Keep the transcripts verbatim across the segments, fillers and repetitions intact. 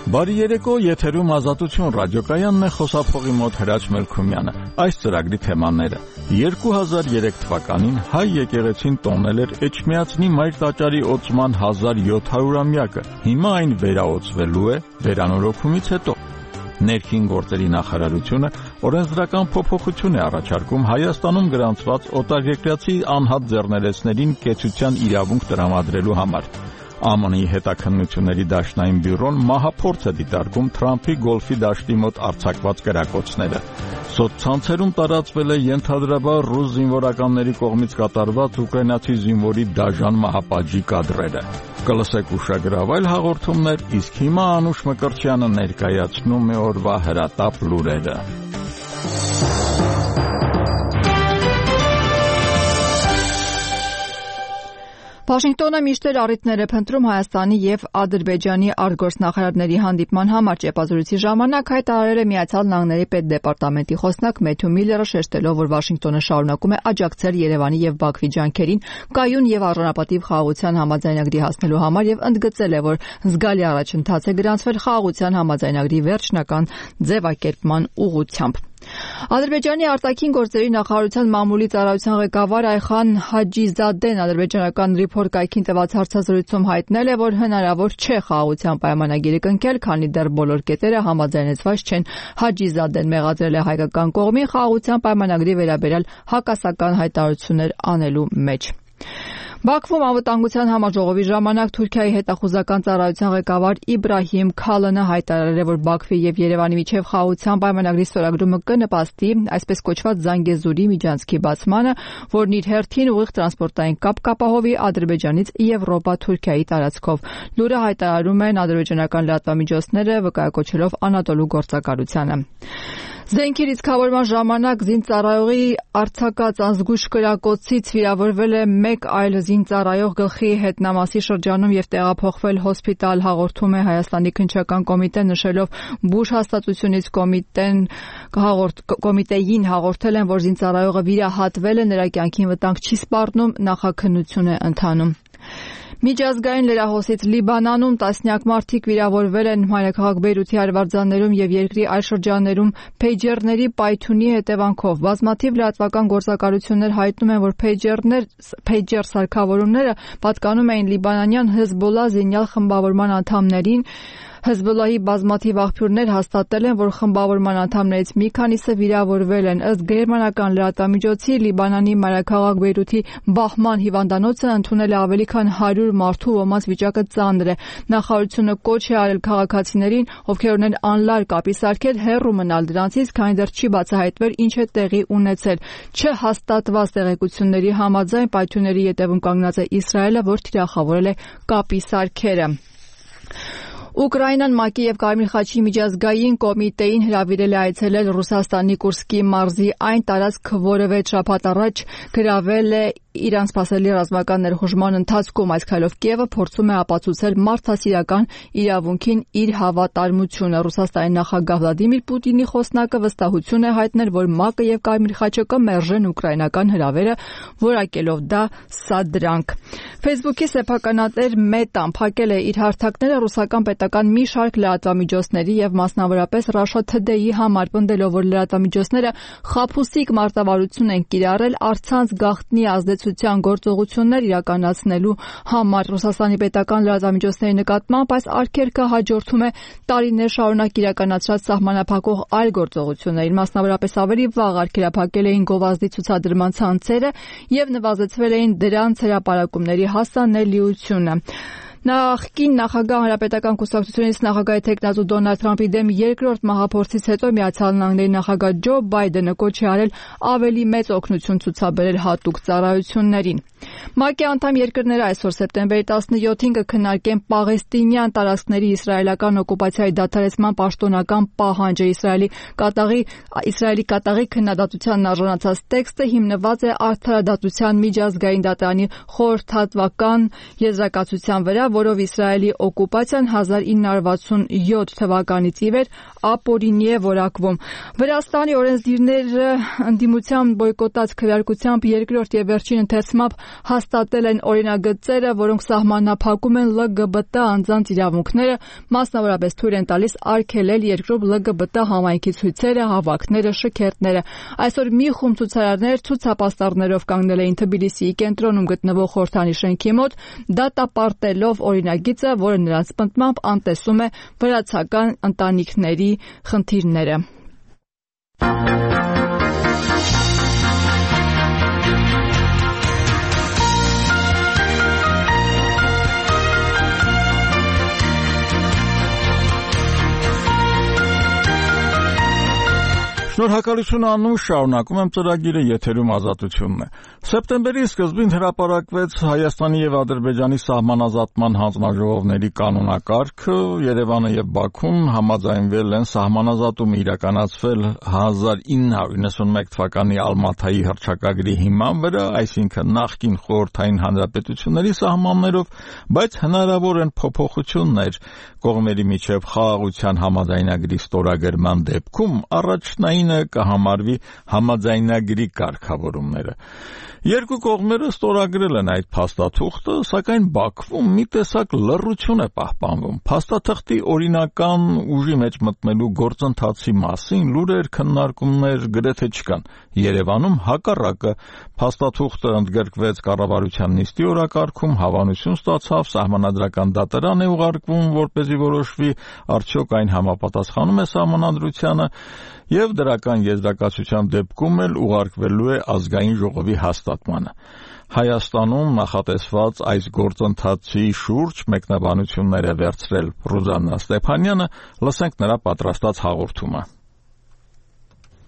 Բարի երեկո, եթերում Ազատություն ռադիոկայանն է, խոսափողի մոտ Հրաչ Մելքումյանը։ Այս ծրագրի թեմաները. երկու հազար երեք թվականին հայ եկեղեցին տոնել էր Էջմիածնի Մայր տաճարի օծման հազար յոթ հարյուրամյակը։ Հիմա այն վերաօծվելու է վերանորոգումից հետո։ Ներքին գործերի նախարարությունը օրենսդրական փոփոխություն է առաջարկում Հայաստանում գրանցված օտարերկրացի անհատ ձեռներեցներին կեցության իրավունք տրամադրելու համար։ Է մ Ն-ի հետաքննությունների դաշնային բյուրոն մահափորձ է դիտարկում Թրամփի գոլֆի դաշտի մոտ արձակված կրակոցները։ Սոցցանցերում տարածվել է ենթադրաբար ռուս զինվորականների կողմից կատարված ուկրաինացի զինվորի դաժան մահապատժի կադրերը։ Կլսեք ուշագրավայել հաղորդումներ, իսկ հիմա Անուշ Մկրտչյանը ներկայացնում է օրվա հրատապ լուրերը։ Վաշինգտոնը միշտ էր առիթներ է փնտրում Հայաստանի եւ Ադրբեջանի արտգործնախարարների հանդիպման համար ճեպազրույցի ժամանակ հայտարարել է Միացյալ Նահանգների պետդեպարտամենտի խոսնակ Մեթյու Միլլերը, շեշտելով, որ Վաշինգտոնը շարունակում է աջակցել Երևանի եւ Բաքվի ջանքերին կայուն եւ առանապատիվ խաղաղության համաձայնագրի հասնելու համար եւ ընդգծել է, որ զգալի առաջընթաց է գրանցվել խաղաղության համաձայնագրի վերջնական ձևակերպման ուղղությամբ։ Ադրբեջանի արտաքին գործերի նախարարության մամուլի ծառայության ղեկավար Այխան Հաջիզադեն ադրբեջանական Report կայքին տված հարցազրույցում հայտնել է, որ հնարավոր չէ խաղաղության պայմանագիրը կնքել, քանի դեռ բոլոր կետերը համաձայնեցված չեն։ Հաջիզադեն մեղադրել է հայկական կողմին խաղաղության պայմանագրի վերաբերյալ հակասական հայտարարություններ անելու մեջ։ Բաքվում անվտանգության համաժողովի ժամանակ Թուրքիայի հետախուզական ծառայության ղեկավար Իբրահիմ Քալանը հայտարարել է, որ Բաքվի եւ Երևանի միջև խաղաղության պայմանագրի ստորագրումը կնպաստի այսպես կոչված Զանգեզուրի միջանցքի բացմանը, որն իր հերթին ուղիղ տրանսպորտային կապ կապահովի Ադրբեջանից Եվրոպա Թուրքիայի տարածքով։ Լուրը հայտարարում են ադրբեջանական լրատվամիջոցները, վկայակոչելով Անատոլու գործակալությանը։ Զենքի լիցքավորման ժամանակ զինծառայողի արձակած անզգույշ կրակոցից վիրավորվել է մեկ այլ զինծառայող գլխի հետնամասի շրջանում եւ տեղափոխվել հոսպիտալ, հաղորդում է Հայաստանի քննչական կոմիտեն, նշելով Բուշ հաստատությունից կոմիտեն հաղորդ կոմիտեին հաղորդել են, որ զինծառայողը վիրահատվել է, նրա կյանքին վտանգ չի սպառնում, նախաքննություն է ընթանում։ Միջազգային լրահոսից Լիբանանում տասնյակ մարդիկ վիրավորվել են մայրաքաղաք Բեյրութի արվարձաններում եւ երկրի այլ շրջաններում փեյջերների պայթյունի հետևանքով։ Բազմաթիվ լրատվական գործակալություններ հայտնում են, որ փեյջերներ փեյջեր սարքավորումները պատկանում էին լիբանանյան Հեզբոլլա զինյալ խմբավորման անդամներին։ Հեզբոլլայի բազմաթիվ աղբյուրներ հաստատել են, որ խմբավորման անդամներից մի քանիսը վիրավորվել են։ Ըստ գերմանական լրատվամիջոցի Լիբանանի մայրաքաղաք Բեյրութի Բահման հիվանդանոցը ընդունել է ավելի քան հարյուր մարդու, ոմանց վիճակը ծանր է։ Նախարարությունը կոչ է արել քաղաքացիներին, ովքեր ունեն անլար կապի սարքել, հեռու մնալ դրանցից, քանի դեռ չի բացահայտվել ինչ է տեղի ունեցել։ Չհաստատված տեղեկությունների համաձայն պայթյունների ետևում կանգնած է Իսրայելը, որ թիրախավորել է կապի սարքերը։ Ուկրաինան ՄԱԿ-ի եւ Կարմիր խաչի միջազգային կոմիտեին հրավիրել է այցելել Ռուսաստանի Կուրսկի մարզի այն տարածք, որը վեց շաբաթ առաջ գրավել է Իրան սպասելի ռազմական ներխուժման ընթացքում։ Այս քայլով Կիևը փորձում է ապացուցել մարդասիրական իրավունքին իր հավատարմությունը։ Ռուսաստանի նախագահ Վլադիմիր Պուտինի խոսնակը վստահություն է հայտնել, որ ՄԱԿ-ը եւ Կարմիր խաչը կմերժեն ուկրաինական հրավերը, որակելով դա սադրանք։ Facebook-ի սեփականատեր Մետան փակել է իր հարթակները ռուսական պետական մի շարք լրատվամիջոցների եւ մասնավորապես Russia Today-ի համար, պնդելով, որ լրատվամիջոցները խաբուսիկ մարտավարություն են կիրառել առցանց գաղտնի ազդեցության գործողություններ իրականացնելու համար։ Ռուսաստանի պետական լրատվամիջոցների նկատմամբ այս արգելքը հաջորդում է տարիներ շարունակ իրականացրած սահմանափակող այլ գործողություններին, մասնավորապես ավելի վաղ արգելափակել էին գովազդի ցուցադրման ցանցերը եւ նվազեցվել էին դրանց հրապարակումների հասանելիությունը։ Նախկին նախագահ Հանրապետական կուսակցությունից նախագահի թեկնածու Դոնալդ Թրամփի դեմ երկրորդ մահափորձից հետո Միացյալ Նահանգների նախագահ Ջո Բայդենը կոչ է արել ավելի մեծ օգնություն ցուցաբերել հատուկ ծառայություններին։ ՄԱԿ-ի անդամ երկրները այսօր սեպտեմբերի տասնյոթին կքննարկեն պաղեստինյան տարածքների իսրայելական օկուպացիայի դադարեցման պաշտոնական պահանջը։ Իսրայելի կատաղի Իսրայելի կատաղի քննադատությանն արժանացած տեքստը հիմնված է արդարադատության միջազգային դատարանի խորհրդատվական եզրակացության վրա, որով Իսրայելի օկուպացիան հազար ինը հարյուր վաթսունյոթ թվականից ի վեր ապօրինի է որակվում։ Վրաստանի օրենսդիրները ընդդիմության բոյկոտած քվեարկությամբ երկրորդ եւ վերջին ընթերցմամբ հաստատել են օրինագծերը, որոնք սահմանափակում են L G B T անձանց իրավունքները, մասնավորապես թույլ են տալիս արգելել երկրում L G B T համայնքի ցույցերը, հավաքները, շքերթները։ Այսօր մի խումբ ցուցարարներ ցուցապաստառներով կանգնել էին Թբիլիսիի կենտրոնում գտնվող խորհրդանի շենքի մոտ, դատապարտելով օրինագիծը, որը նրանց պնդմամբ անտեսում է վրացական ընտանիքների խնդիրները։ Շնորհակալություն Անուշ, շարունակում եմ ծրագիրը, եթերում Ազատությունն է։ Սեպտեմբերի սկզբին հրապարակվեց Հայաստանի եւ Ադրբեջանի սահմանազատման հանձնաժողովների կանոնակարգը, Երևանը եւ Բաքուն համաձայնվել են սահմանազատումը իրականացվել հազար ինը հարյուր իննսունմեկ թվականի Ալմաթայի հռչակագրի հիման վրա, այսինքն նախկին խորհրդային հանրապետությունների սահմաններով, բայց հնարավոր են փոփոխություններ կողմերի միջև խաղաղության համաձայնագրի ստորագրման դեպքում առաջնային կհամարվի համաձայնագրի կարգավորումները։ Երկու կողմերը ստորագրել են այդ փաստաթուղթը, սակայն Բաքվում մի տեսակ լռություն է պահպանվում։ Փաստաթղթի օրինական ուժի մեջ մտնելու գործընթացի մասին լուրեր, քննարկումներ գրեթե չկան։ Երևանում հակառակը, փաստաթուղթը ընդգրկվեց կառավարության նիստի օրակարգում, հավանություն ստացավ, սահմանադրական դատարան է ուղարկվում, որպեսզի որոշվի արդյոք այն համապատասխանում է սահմանադրությանը, եւ դրական եզրակացության դեպքում էլ ուղարկվելու է ազգային ժողովի հաստատմանը։ Հայաստանում նախատեսված այս գործընթացի շուրջ մեկնաբանություններ է վերցրել Ռուզաննա Ստեփանյանը, լսենք նրա պատրաստած հաղորդումը։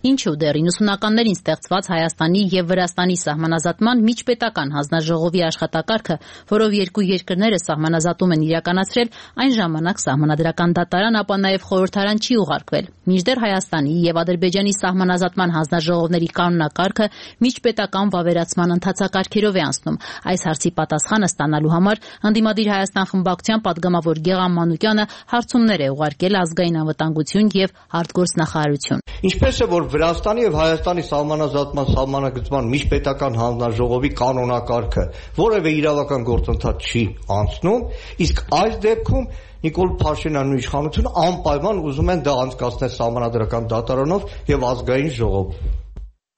Ինչու դեռ իննսունականներին ստեղծված Հայաստանի եւ Վրաստանի սահմանազատման միջպետական հանձնաժողովի աշխատակարգը, որով երկու երկրները սահմանազատում են իրականացրել, այն ժամանակ սահմանադրական դատարան, ապա նաեւ խորհրդարան չի ուղարկվել։ Մինչդեռ Հայաստանի եւ Ադրբեջանի սահմանազատման հանձնաժողովների կանոնակարգը միջպետական վավերացման ընթացակարգերով է անցնում։ Այս հարցի պատասխանը ստանալու համար ընդդիմադիր Հայաստան խմբակցության падգամավոր Գեղամ Մանուկյանը հարցումներ է ուղարկել ազգային անվտանգություն եւ արտգործնախարարություն։ Ինչպես է որ Վրաստանի եւ Հայաստանի սահմանազատման սահմանագծման միջպետական հանձնաժողովի կանոնակարգը որևէ իրավական գործընթաց չի անցնում, իսկ այս դեպքում Նիկոլ Փաշինյանն ու իշխանությունը անպայման ուզում են դա անցկացնել սահմանադրական դատարանով եւ ազգային ժողովով։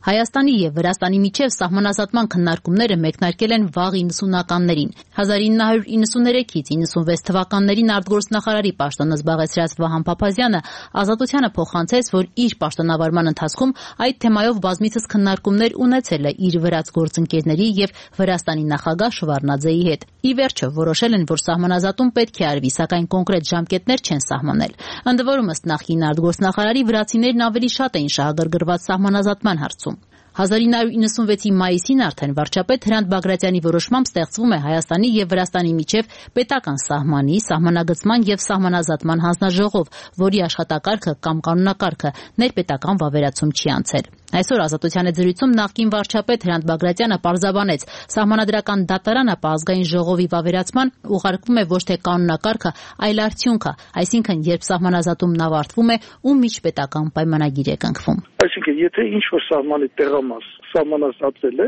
Հայաստանի եւ Վրաստանի միջև սահմանազատման քննարկումները մեկնարկել են վաղ իննսունականներին։ հազար ինը հարյուր իննսուներեքից իննսունվեց թվականներին արտգործնախարարի պաշտոնը զբաղեցրած Վահան Փափազյանը Ազատությանը փոխանցեց, որ իր պաշտոնավարման ընթացքում այդ թեմայով բազմիցս քննարկումներ ունեցել է իր վրաց գործընկերների եւ Վրաստանի նախագահ Շևարդնաձեի հետ։ Ի վերջո որոշել են, որ սահմանազատում պետք է արվի, սակայն կոնկրետ ժամկետներ չեն սահմանել։ Ընդ որում ըստ նախկին արտգործնախարարի վրացիներն ավելի շատ էին շահագրգռված սահմանազատման հարցում։ հազար ինը հարյուր իննսունվեցի մայիսին արդեն վարչապետ Հրանտ Բագրատյանի որոշմամբ ստեղծվում է Հայաստանի եւ Վրաստանի միջև պետական սահմանի, սահմանագծման եւ սահմանազատման հանձնաժողով, որի աշխատակարգը կամ կանոնակարգը ներպետական վավերացում չի անցել։ Այսօր Ազատության հետ զրույցում նախկին վարչապետ Հրանտ Բագրատյանը պարզաբանեց, սահմանադրական դատարանը ազգային ժողովի վավերացման ուղարկվում է ոչ թե կանոնակարգը, այլ արդյունքը, այսինքն երբ սահմանազատումն ավարտվում է, ում միջպետական պայմանագիր է կնքվում։ Այսինքն, եթե ինչ-որ սահմանի տեղամաս սահմանազատվել է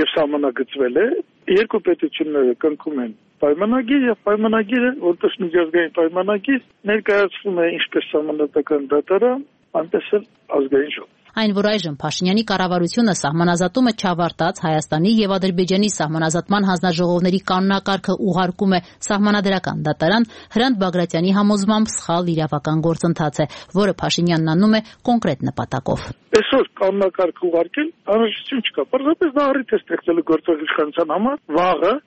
եւ սահմանագծվել է, երկու պետությունները կնքում են պայմանագիր եւ պայմանագիրը, որպես միջազգային պայմանագիր, ներկայացվում է ինչպես սահմանադրական դատարան, այնպես էլ ազգային ժողով։ Այն, որ այժմ Փաշինյանի կառավարությունը սահմանազատումը չավարտած Հայաստանի եւ Ադրբեջանի սահմանազատման հանձնաժողովների կանոնակարգը ուղարկում է սահմանադրական դատարան, Հրանտ Բագրատյանի համոզմամբ սխալ իրավական գործընթաց է, որը Փաշինյանն անում է կոնկրետ նպատակով։ Այսօր կանոնակարգ ուղարկել անհրաժեշտություն չկա։ Պարզապես դա առիթ է ստեղծել գործող իշխանության համար վաղը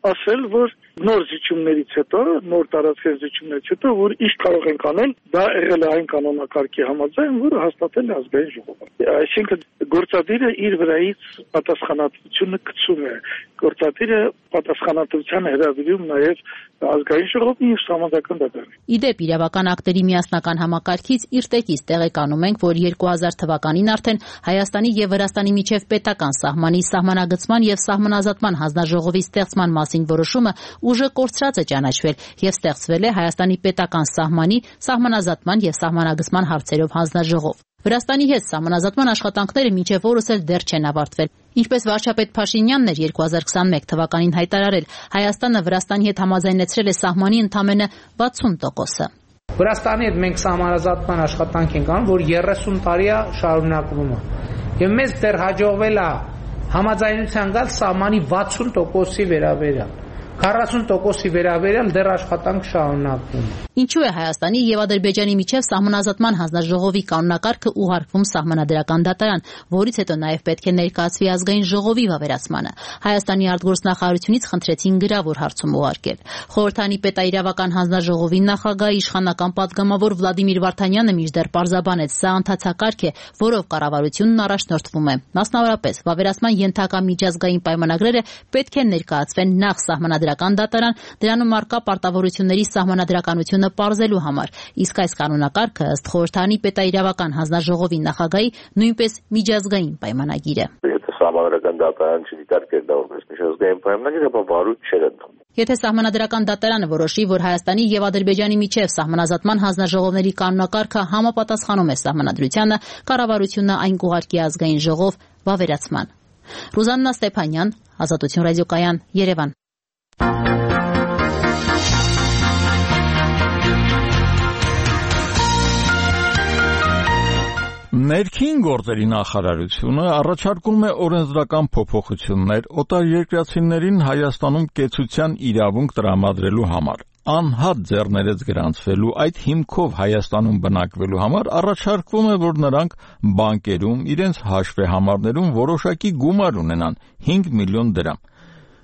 ասել, որ նոր զիջումներից հետո, նոր տարածքային զիջումներից հետո, որ ինչ կարող ենք անել, դա եղել է այն կանոնակարգի համաձայն, որը հաստատել է ազգային ժողովը։ Այսինքն գործադիրը իր վրայից պատասխանատվությունը գցում է, գործադիրը պատասխանատվության հրավիրում նաև ազգային ժողովին եւ սահմանադրական դատարանին։ Իդեպ իրավական ակտերի միասնական համակարգից իր տեկից տեղեկանում ենք, որ երկու հազար թվականին արդեն Հայաստանի եւ Վրաստանի միջև պետական սահմանի, սահմանագծման եւ սահմանազատման հանձնաժողովի ստեղծման մասին որոշումը ուժը կորցրած է ճանաչվել եւ ստեղծվել է Հայաստանի պետական սահմանի, սահմանազատման եւ սահմանագծման հարցերով հանձնաժողով։ Վրաստանի հետ սահմանազատման աշխատանքները մինչև օրս էլ դեռ չեն ավարտվել։ Ինչպես վարչապետ Փաշինյանն էր երկու հազար քսանմեկ թվականին հայտարարել, Հայաստանը Վրաստանի հետ համաձայնեցրել է սահմանի ընդամենը վաթսուն տոկոսը։ Վրաստանի հետ մենք սահմանազատման աշխատանք ենք անում, որ երեսուն տարի է շարունակվում է։ Եվ մեզ դեռ հաջողվել է համաձայնության գալ սահմանի վաթսուն տոկոսի վերաբերյալ։ քառասուն տոկոսի վերաբերյալ դեռ աշխատանք շարունակվում է։ Ինչու է Հայաստանի եւ Ադրբեջանի միջև սահմանազատման հանձնաժողովի կանոնակարգը ուղարկվում սահմանադրական դատարան, որից հետո նաեւ պետք է ներկայացվի ազգային ժողովի վավերացմանը։ Հայաստանի արտգործնախարարությունից խնդրեցին գրավոր հարցում ուղարկել։ Խորհրդանի պետաիրավական հանձնաժողովի նախագահ իշխանական պատգամավոր Վլադիմիր Վարդանյանը մինչդեռ պարզաբանեց, սա ընթացակարգ է, որով կառավարությունն առաջնորդվում է։ Մասնավորապես, վավերացման ենթակա միջազգային պայմանագրերը պետք է ներկայացվեն նախ սահմանադրական դատարան, դրանում առկա պարտավորությունների սահմանադրականությունը պարզելու համար, իսկ այս կանոնակարգը ըստ Խորհրդանի պետաիրավական հանձնաժողովի նախագահի նույնպես միջազգային պայմանագիր է։ Եթե սահմանադրական դատարան չդիտարկեր դա որպես միջազգային պայմանագիր, ապա վարույթ չէր ընդունում։ Եթե սահմանադրական դատարանը որոշի, որ Հայաստանի եւ Ադրբեջանի միջև սահմանազատման հանձնաժողովների կանոնակարգը համապատասխանում է սահմանադրությանը, կառավարությունը այն կուղարկի ազգային ժողով վավերացման։ Ռուզաննա Ստեփանյան, Ազատություն ռադիոկայան, Երևան։ Ներքին գործերի նախարարությունը առաջարկում է օրենսդրական փոփոխություններ օտարերկրացիներին Հայաստանում կեցության իրավունք տրամադրելու համար։ Անհատ ձեռներեց գրանցվելու այդ հիմքով Հայաստանում բնակվելու համար առաջարկվում է, որ նրանք բանկերում իրենց հաշվեհամարներում որոշակի գումար ունենան հինգ միլիոն դրամ։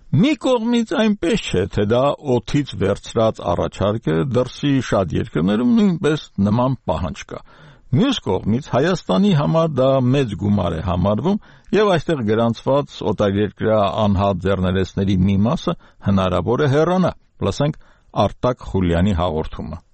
Մի կողմից այնպես չէ, թե դա օդից վերցրած առաջարկ է, դրսի շատ երկրներում նույնպես նման պահանջ կա։ Մյուս կողմից Հայաստանի համար դա մեծ գումար է համարվում եւ այստեղ գրանցված օտարերկրյա անհատ ձեռներեցների մի մասը հնարավոր է հեռանա։ Լսենք Արտակ Խուլյանի հաղորդումը։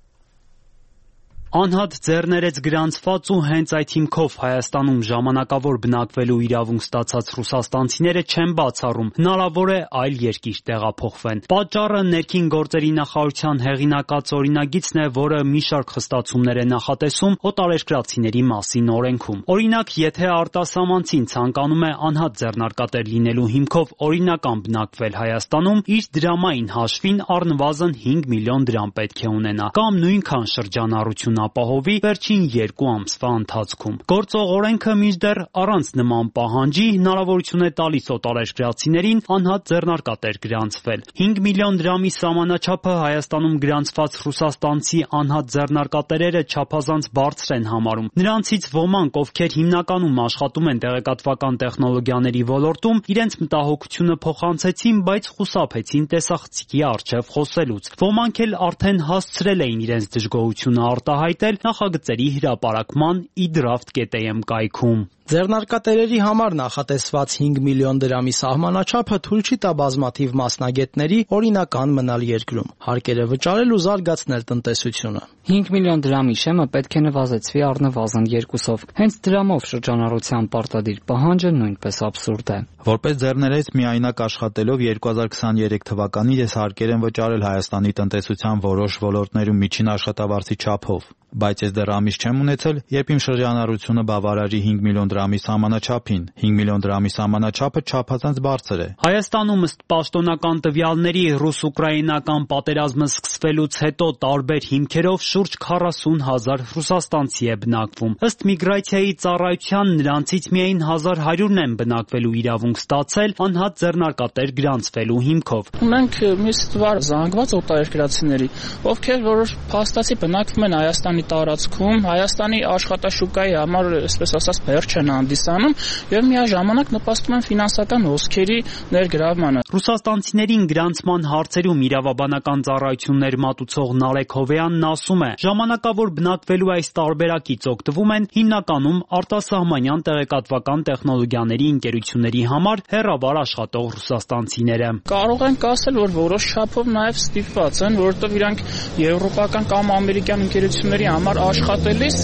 Անհատ ձեռներեց գրանցված ու հենց այդ հիմքով Հայաստանում ժամանակավոր բնակվելու իրավունք ստացած ռուսաստանցիները չեն բացառում, հնարավոր է այլ երկիր տեղափոխվեն։ Պատճառը ներքին գործերի նախարարության հեղինակած օրինագիծն է, որը մի շարք խստացումներ է նախատեսում օտարերկրացիների մասին օրենքում։ Օրինակ, եթե արտասահմանցին ցանկանում է անհատ ձեռնարկատեր լինելու հիմքով օրինական բնակվել Հայաստանում, իր դրամային հաշվին առնվազն հինգ միլիոն դրամ պետք է ունենա, կամ նույնքան շրջանառություն ապահովի վերջին երկու ամսվա ընթացքում։ Գործող օրենքը մինչդեռ առանց նման պահանջի հնարավորություն է տալիս օտարերկրացիներին անհատ ձեռնարկատեր գրանցվել։ հինգ միլիոն դրամի սահմանաչափը Հայաստանում գրանցված ռուսաստանցի անհատ ձեռնարկատերերը չափազանց բարձր են համարում։ Նրանցից ոմանք, ովքեր հիմնականում աշխատում են տեղեկատվական տեխնոլոգիաների ոլորտում, իրենց մտահոգությունը փոխանցեցին, բայց խուսափեցին տեսախցիկի առջև խոսելուց։ Ոմանք էլ արդեն հասցրել էին իրենց դժգոհությունը արտահայտել նախագծերի հրապարակման idraft.am կայքում։ Ձեռնարկատերերի համար նախատեսված հինգ միլիոն դրամի սահմանաչափը թույլ չի տա բազմաթիվ մասնագետների օրինական մնալ երկրում, հարկերը վճարել ու զարգացնել տնտեսությունը։ հինգ միլիոն դրամի շեմը պետք է նվազեցվի առնվազն երկուսով։ Հենց դրամով շրջանառության պարտադիր պահանջը նույնպես աբսուրդ է։ Որպես ձեռներեց միայնակ աշխատելով երկու հազար քսաներեք թվականին ես հարկեր եմ վճարել Հայաստանի տնտեսության որոշ ոլորտներում միջին աշխատավարձի չափով, բայց ես դեռ ամիս չեմ ունեցել, երբ իմ շրջանառությունը բավարարի հինգ միլիոն դրամի սահմանաչափին։ հինգ միլիոն դրամի սահմանաչափը չափազանց բարձր է։ Հայաստանում ըստ պաշտոնական տվյալների ռուս-ուկրաինական պատերազմը սկսվելուց հետո տարբեր հիմքերով շուրջ քառասուն հազար ռուսաստանցի է բնակվում։ Ըստ միգրացիայի ծառայության նրանցից միայն հազար հարյուրն են բնակվելու իրավունք ստացել անհատ ձեռնարկատեր գրանցվելու հիմքով։ Մենք մի ստվար զանգված օտարերկրացիների, ովքեր որոշ փաստացի բնակվում են Հայաստանի տարածքում, Հայաստանի աշխատաշուկայի համար, այսպես ասած, վերջ են հանդիսանում եւ միաժամանակ նպաստում են ֆինանսական հոսքերի ներգրավմանը։ Ռուսաստանցիներին գրանցման հարցերում իրավաբանական ծառայություններ մատուցող Նարեկ Հովեյանն ասում է, ժամանակավոր բնակվելու այս տարբերակից օգտվում են հիմնականում արտասահմանյան տեղեկատվական տեխնոլոգիաների ընկերությունների համար հեռավար աշխատող ռուսաստանցիները։ Կարող ենք ասել, որ որոշ չափով նաեւ ստիպված են, որովհետեւ իրանք եվրոպական կամ ամերիկյան ընկերությունների համար աշխատելիս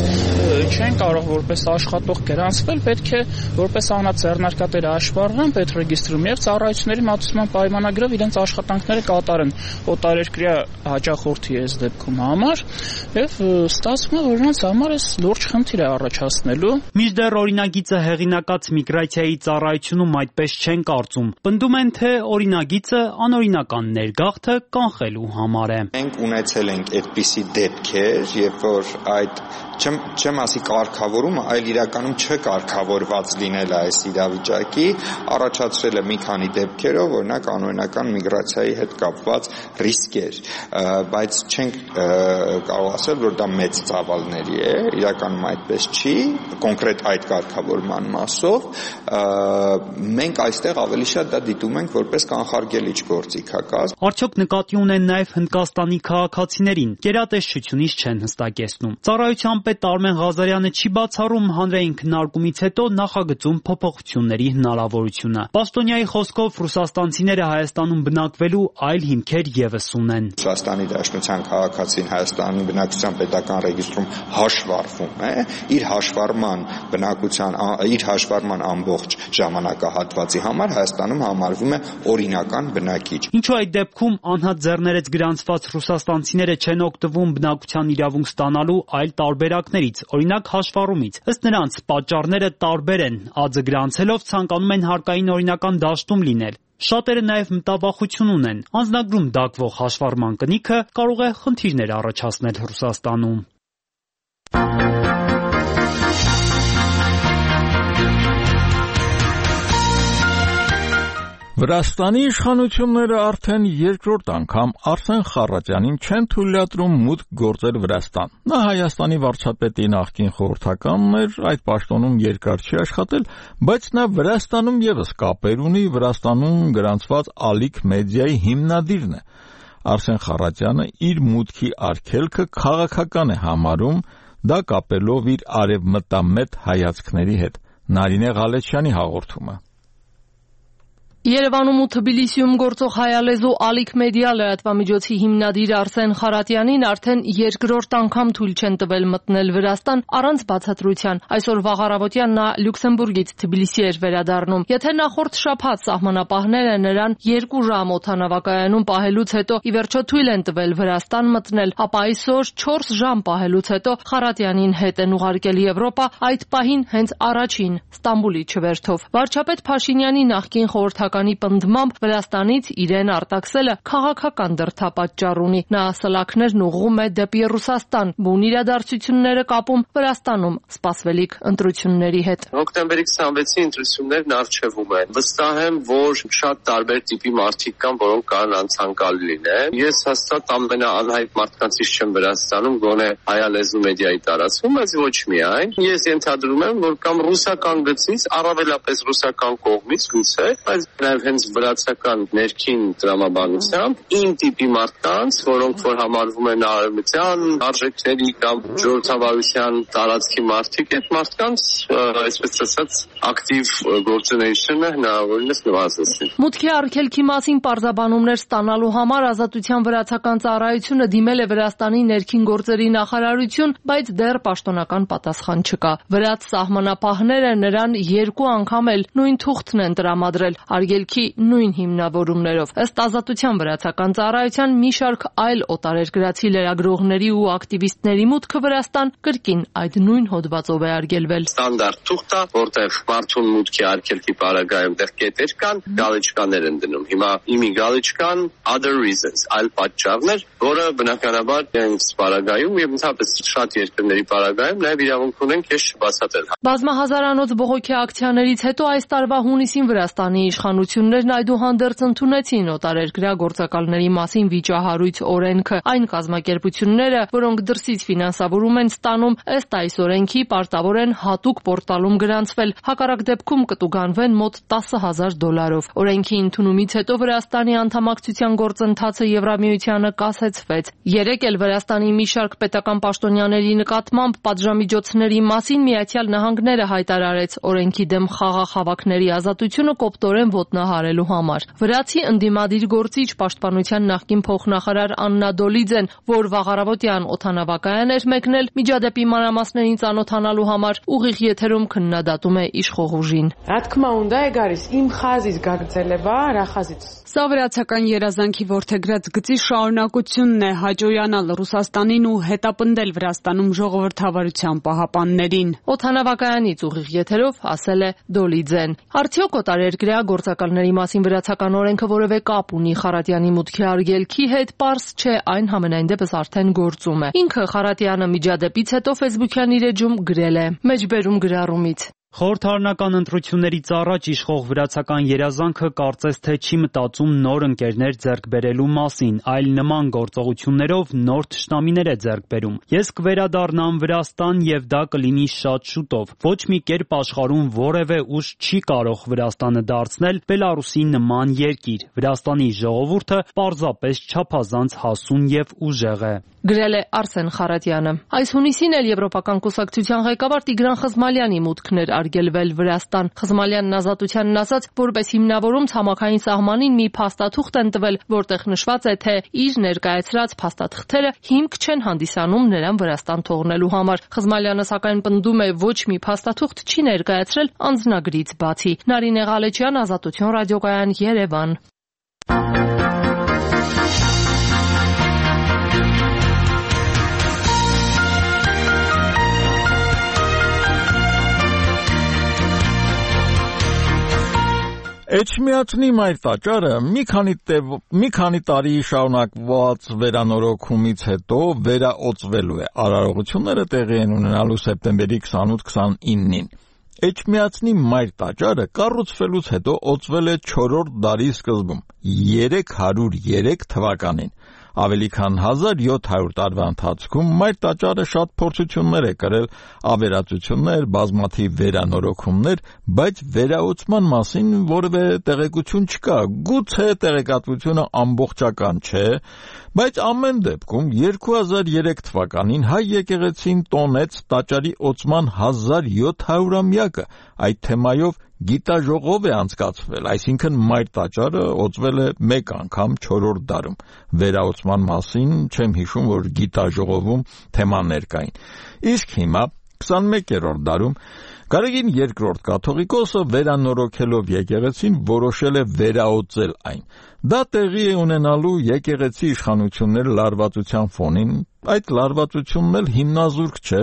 չեն կարող որպես աշխատող գրանցվել, պետք է որպես անձեռնարկատեր հաշվառվեն պետրեգիստրում եւ ծառայությունների մատուցման պայմանագրով իրենց աշխատանքները կատարեն օտարերկրյա հաճախորդի այս դեպքում համար եւ ստացվում է, որ նրանց համար այս լուրջ խնդիր է առաջացնելու։ Մինչդեռ օրինագիծը հեղինակած միգրացիայի ծառայությունում այդպես չեն կարծում։ Պնդում են, թե օրինագիծը անօրինական ներգաղթը կանխելու համար է։ Մենք ունեցել ենք այդպիսի դեպքեր, երբ որ այդ չեմ չեմ ասի կարգավորումը, այլ իրականում չկարգավորված լինել այս իրավիճակի, առաջացրել է մի քանի դեպքերով, օրինակ անօրինական միգրացիայի հետ կապված ռիսկեր, բայց չենք կարող ասել, որ դա մեծ ծավալների է, իրականում այդպես չի, կոնկրետ այդ կարգավորման մասով, մենք այստեղ ավելի շատ դա դիտում ենք որպես կանխարգելիչ գործիքակազմ։ Արդյոք նկատի ունեն նաև Հնդկաստանի քաղաքացիներին, գերատեսչությունից չեն հստակեցնում։ Ծառայության պետ Արմեն Ղազարյանը չի բացառում հանրային քննարկումից հետո նախագծում փոփոխությունների հնարավորությունը։ Պաշտոնյայի խոսքով ռուսաստանցիները Հայաստանում բնակվելու այլ հիմքեր ևս ունեն։ Ռուսաստանի Դաշնության քաղաքացին Հայաստանի բնակչության պետական ռեգիստրում հաշվառվում է, իր հաշվառման բնակության իր հաշվառման ամբողջ ժամանակահատվածի համար Հայաստանում համարվում է օրինական բնակիչ։ Ինչու այդ դեպքում անհատ ձեռներեց գրանցված ռուսաստանցիները չեն օգտվում բնակության իրավունք ստանալու այլ տարբերակներից, օրինակ հաշվառումից։ Ըստ նրանց պատճառները տարբեր են, ԱՁ գրանցելով ցանկանում են հարկային օրինական դաշտում լինել։ Շատերը նաև մտավախություն ունեն, անձնագրում դակվող հաշվառման կնիքը կարող է խնդիրներ առաջացնել Ռուսաստանում։ Վրաստանի իշխանությունները արդեն երկրորդ անգամ Արսեն Խառատյանին չեն թույլատրում մուտք գործել Վրաստան։ Նա Հայաստանի վարչապետի նախկին խորհրդականն էր, այդ պաշտոնում երկար չի աշխատել, բայց նա Վրաստանում ևս կապեր ունի, Վրաստանում գրանցված Ալիք մեդիայի հիմնադիրն է։ Արսեն Խառատյանը իր մուտքի արգելքը քաղաքական է համարում, դա կապելով իր արևմտամետ հայացքների հետ։ Նարինե Ղալեչյանի հաղորդումը։ Երևանում ու Թբիլիսիում գործող հայալեզու Ալիք մեդիա լրատվամիջոցի հիմնադիր Արսեն Խառատյանին արդեն երկրորդ անգամ թույլ չեն տվել մտնել Վրաստան առանց բացատրության։ Այսօր վաղ առավոտյան նա Լյուքսեմբուրգից Թբիլիսի էր վերադառնում։ Եթե նախորդ շաբաթ սահմանապահները նրան երկու ժամ օդանավակայանում պահելուց հետո ի վերջո թույլ են տվել Վրաստան մտնել, ապա այսօր չորս ժամ պահելուց հետո Խառատյանին հետ են ուղարկել Եվրոպա, այդ պահին հենց առաջին Ստամբուլի չվերթով։ Վարչապետ Փաշինյանի նախկին խորհրդական Կանի պնդմամբ Վրաստանից իրեն արտաքսելը քաղաքական դրդապատճառ ունի։ Նա սլաքներն ուղղում է դեպի Ռուսաստան, բուն իրադարձությունները կապում Վրաստանում սպասվելիք ընտրությունների հետ։ Հոկտեմբերի քսանվեցի ընտրություններն առջևում են։ Վստահ եմ, որ շատ տարբեր տիպի մարդիկ կան, որոնք կարող անցանկալի լինեն։ Ես հաստատ ամենաանհայտ մարդկանցից չեմ Վրաստանում, գոնե հայալեզու մեդիայի տարածքում, բայց ոչ միայն։ Ես ենթադրում եմ, որ կամ ռուսական գծից, առավելապես ռուսական կողմից գուցե, բայց նաև հենց վրացական ներքին տրամաբանությամբ իմ տիպի մարդկանց, որոնք որ համարվում են արևմտյան արժեքների կամ ժողովրդավարության տարածքի մարդիկ, այդ մարդկանց, այսպես ասած, ակտիվ գործունեությունը հնարավորինս նվազեցնել։ Մուտքի արգելքի մասին պարզաբանումներ ստանալու համար Ազատության վրացական ծառայությունը դիմել է Վրաստանի ներքին գործերի նախարարություն, բայց դեռ պաշտոնական պատասխան չկա։ Վրաց սահմանապահները նրան երկու անգամ էլ նույն թուղթն են տրամադրել արգելքի նույն հիմնավորումներով։ Ըստ Ազատության վրացական ծառայության մի շարք այլ օտարերկրացի լրագրողների ու ակտիվիստների մուտքը Վրաստան կրկին այդ նույն հոդվածով է արգելվել։ Ստանդարտ թուղթ է, որտեղ մարդուն մուտքի արգելքի պարագայում դեռ կետեր կան, գալիչկաներ են դնում։ Հիմա իմի գալիչկան other reasons, այլ պատճառներ, որը բնականաբար իրենց պարագայում եւ ընդհանրապես շատ երկրների պարագայում նաեւ իրավունք ունեն քեզ չբացատրել։ Բազմահազարանոց բողոքի ակցիաներից հետո այս տարվա հունիսին Վրաստանի իշխանություններն այդուհանդերձ ընդունեցին օտարերկրյա գործակալների մասին վիճահարույց օրենքը։ Այն կազմակերպությունները, որոնք դրսից ֆինանսավորում են ստանում, ըստ այս օրենքի պարտավոր են հատուկ պորտալում գրանցվել, հակառակ դեպքում կտուգանվեն մոտ տասը հազար դոլարով։ Օրենքի ընդունումից հետո Վրաստանի անդամակցության գործընթացը Եվրամիությանը կասեցվեց։ Երեկ էլ Վրաստանի մի շարք պետական պաշտոնյաների նկատմամբ պատժամիջոցների մասին Միացյալ Նահանգները հայտարարեց օրենքի դեմ խաղաղ հավաքների ազատությունը կոպտորեն ոտնի ոտնահարելու համար։ Վրացի ընդդիմադիր գործիչ պաշտպանության նախկին փոխնախարար Աննա Դոլիձեն, որ վաղարավոտյան օդանավակայան էր մեկնել միջադեպի մանրամասներին ծանոթանալու համար, ուղիղ եթերում քննադատում է իշխող ուժին։ Սա վրացական երազանքի որդեգրած գծի շարունակությունն է հաճոյանալ Ռուսաստանին ու հետապնդել Վրաստանում ժողովրդավարության պահապաններին։ Օդանավակայանից ուղիղ եթերով ասել է Դոլիձեն։ Արդյոք օտարերկրյա գործակալների մասին վրացական օրենքը որևէ կապ ունի Խարատյանի մուտքի արգելքի հետ, պարզ չէ, այն համենայն դեպս արդեն գործում է։ Ինքը Խարատյանը միջադեպից հետո Facebook-յան իր էջում գրել է. Մեջբերում գրառումից։ Խորհրդարանական ընտրություններից առաջ իշխող վրացական երազանքը կարծես թե չի մտածում նոր ընկերներ ձեռք բերելու մասին, այլ նման գործողություններով նոր թշնամիներ է ձեռք բերում։ Ես կվերադառնամ Վրաստան եւ դա կլինի շատ շուտով։ Ոչ մի կերպ աշխարհում որևէ ուժ չի կարող Վրաստանը դարձնել Բելարուսի նման երկիր։ Վրաստանի ժողովուրդը պարզապես չափազանց հասուն եւ ուժեղ է։ Գրել է Արսեն Խարատյանը։ Այս հունիսին էլ Եվրոպական կուսակցության ղեկավար Տիգրան Խզմալյանի մուտքն էր արգելվել Վրաստան։ Խզմալյանն ազատությանն ասաց, որպես հիմնավորում ցամաքային սահմանին մի փաստաթուղթ են տվել, որտեղ նշված է, թե իր ներկայացրած փաստաթղթերը հիմք չեն հանդիսանում նրան Վրաստան թողնելու համար։ Խզմալյանը սակայն պնդում է, ոչ մի փաստաթուղթ չի ներկայացրել անձնագրից բացի։ Նարինե Ղալեչյան, Ազատություն ռադիոկայան, Երևան։ Էջմիածնի մայր տաճարը մի քանի տև, մի քանի տարի շարունակված վերանորոգումից հետո վերաօծվելու է։ Արարողությունները տեղի են ունենալու սեպտեմբերի քսանութ քսանինին։ Էջմիածնի մայր տաճարը կառուցվելուց հետո օծվել է չորրորդ դարի սկզբում, երեք հարյուր երեք թվականին։ Ավելի քան հազար յոթ հարյուր տարվա ընթացքում մայր տաճարը շատ փորձություններ է կրել, ավերածություններ, բազմաթիվ վերանորոգումներ, բայց վերաօծման մասին որևէ տեղեկություն չկա։ Գուցե տեղեկատվությունը ամբողջական չէ, բայց ամեն դեպքում երկու հազար երեք թվականին հայ եկեղեցին տոնեց տաճարի օծման հազար յոթ հարյուրամյակը։ Այդ թեմայով գիտաժողով է անցկացվել, այսինքն մայր տաճարը օծվել է մեկ անգամ չորրորդ դարում։ Վերաօծման մասին չեմ հիշում, որ գիտաժողովում թեմաներ կային։ Իսկ հիմա քսանմեկերորդ դարում Գարեգին երկրորդ կաթողիկոսը վերանորոգելով եկեղեցին որոշել է վերաօծել այն։ Դա տեղի է ունենալու եկեղեցի իշխանությունների լարվածության ֆոնին, այդ լարվածությունն էլ հիմնազուրկ չէ,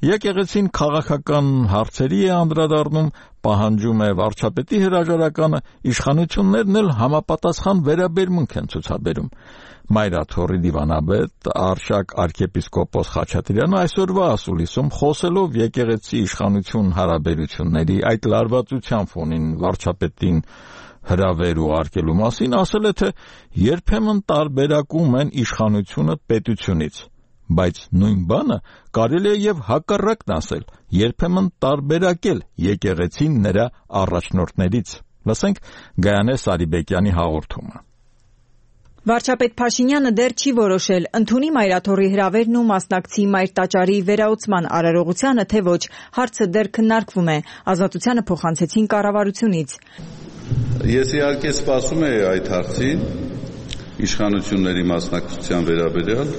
եկեղեցին քաղաքական հարցերի է անդրադառնում, պահանջում է վարչապետի հրաժարականը, իշխանություններն էլ համապատասխան վերաբերմունք են ցուցաբերում։ Մայրաթորի դիվանաբեդ Արշակ arczepiskopos Խաչատրյանը այսօրվա ասուլիսում խոսելով եկեղեցի իշխանություն հարաբերությունների այդ լարվածության ֆոնին վարչապետին հրավեր ուղարկելու մասին ասել է, թե երբեմն տարբերակում են իշխանությունը պետությունից, բայց նույն բանը կարելի է եւ հակառակն ասել, երբեմն տարբերակել եկեղեցին նրա առաջնորդներից։ Լսենք Գայանե Սարիբեկյանի հաղորդումը։ Վարչապետ Փաշինյանը դեռ չի որոշել ընդունի Մայրաթորի հրավերն ու մասնակցի մայր տաճարի վերաօծման արարողությանը, թե ոչ, հարցը դեռ քննարկվում է, ազատությանը փոխանցեցին կառավարությունից։ Ես իհարկե սպասում եմ այդ հարցին իշխանությունների մասնակցության վերաբերյալ։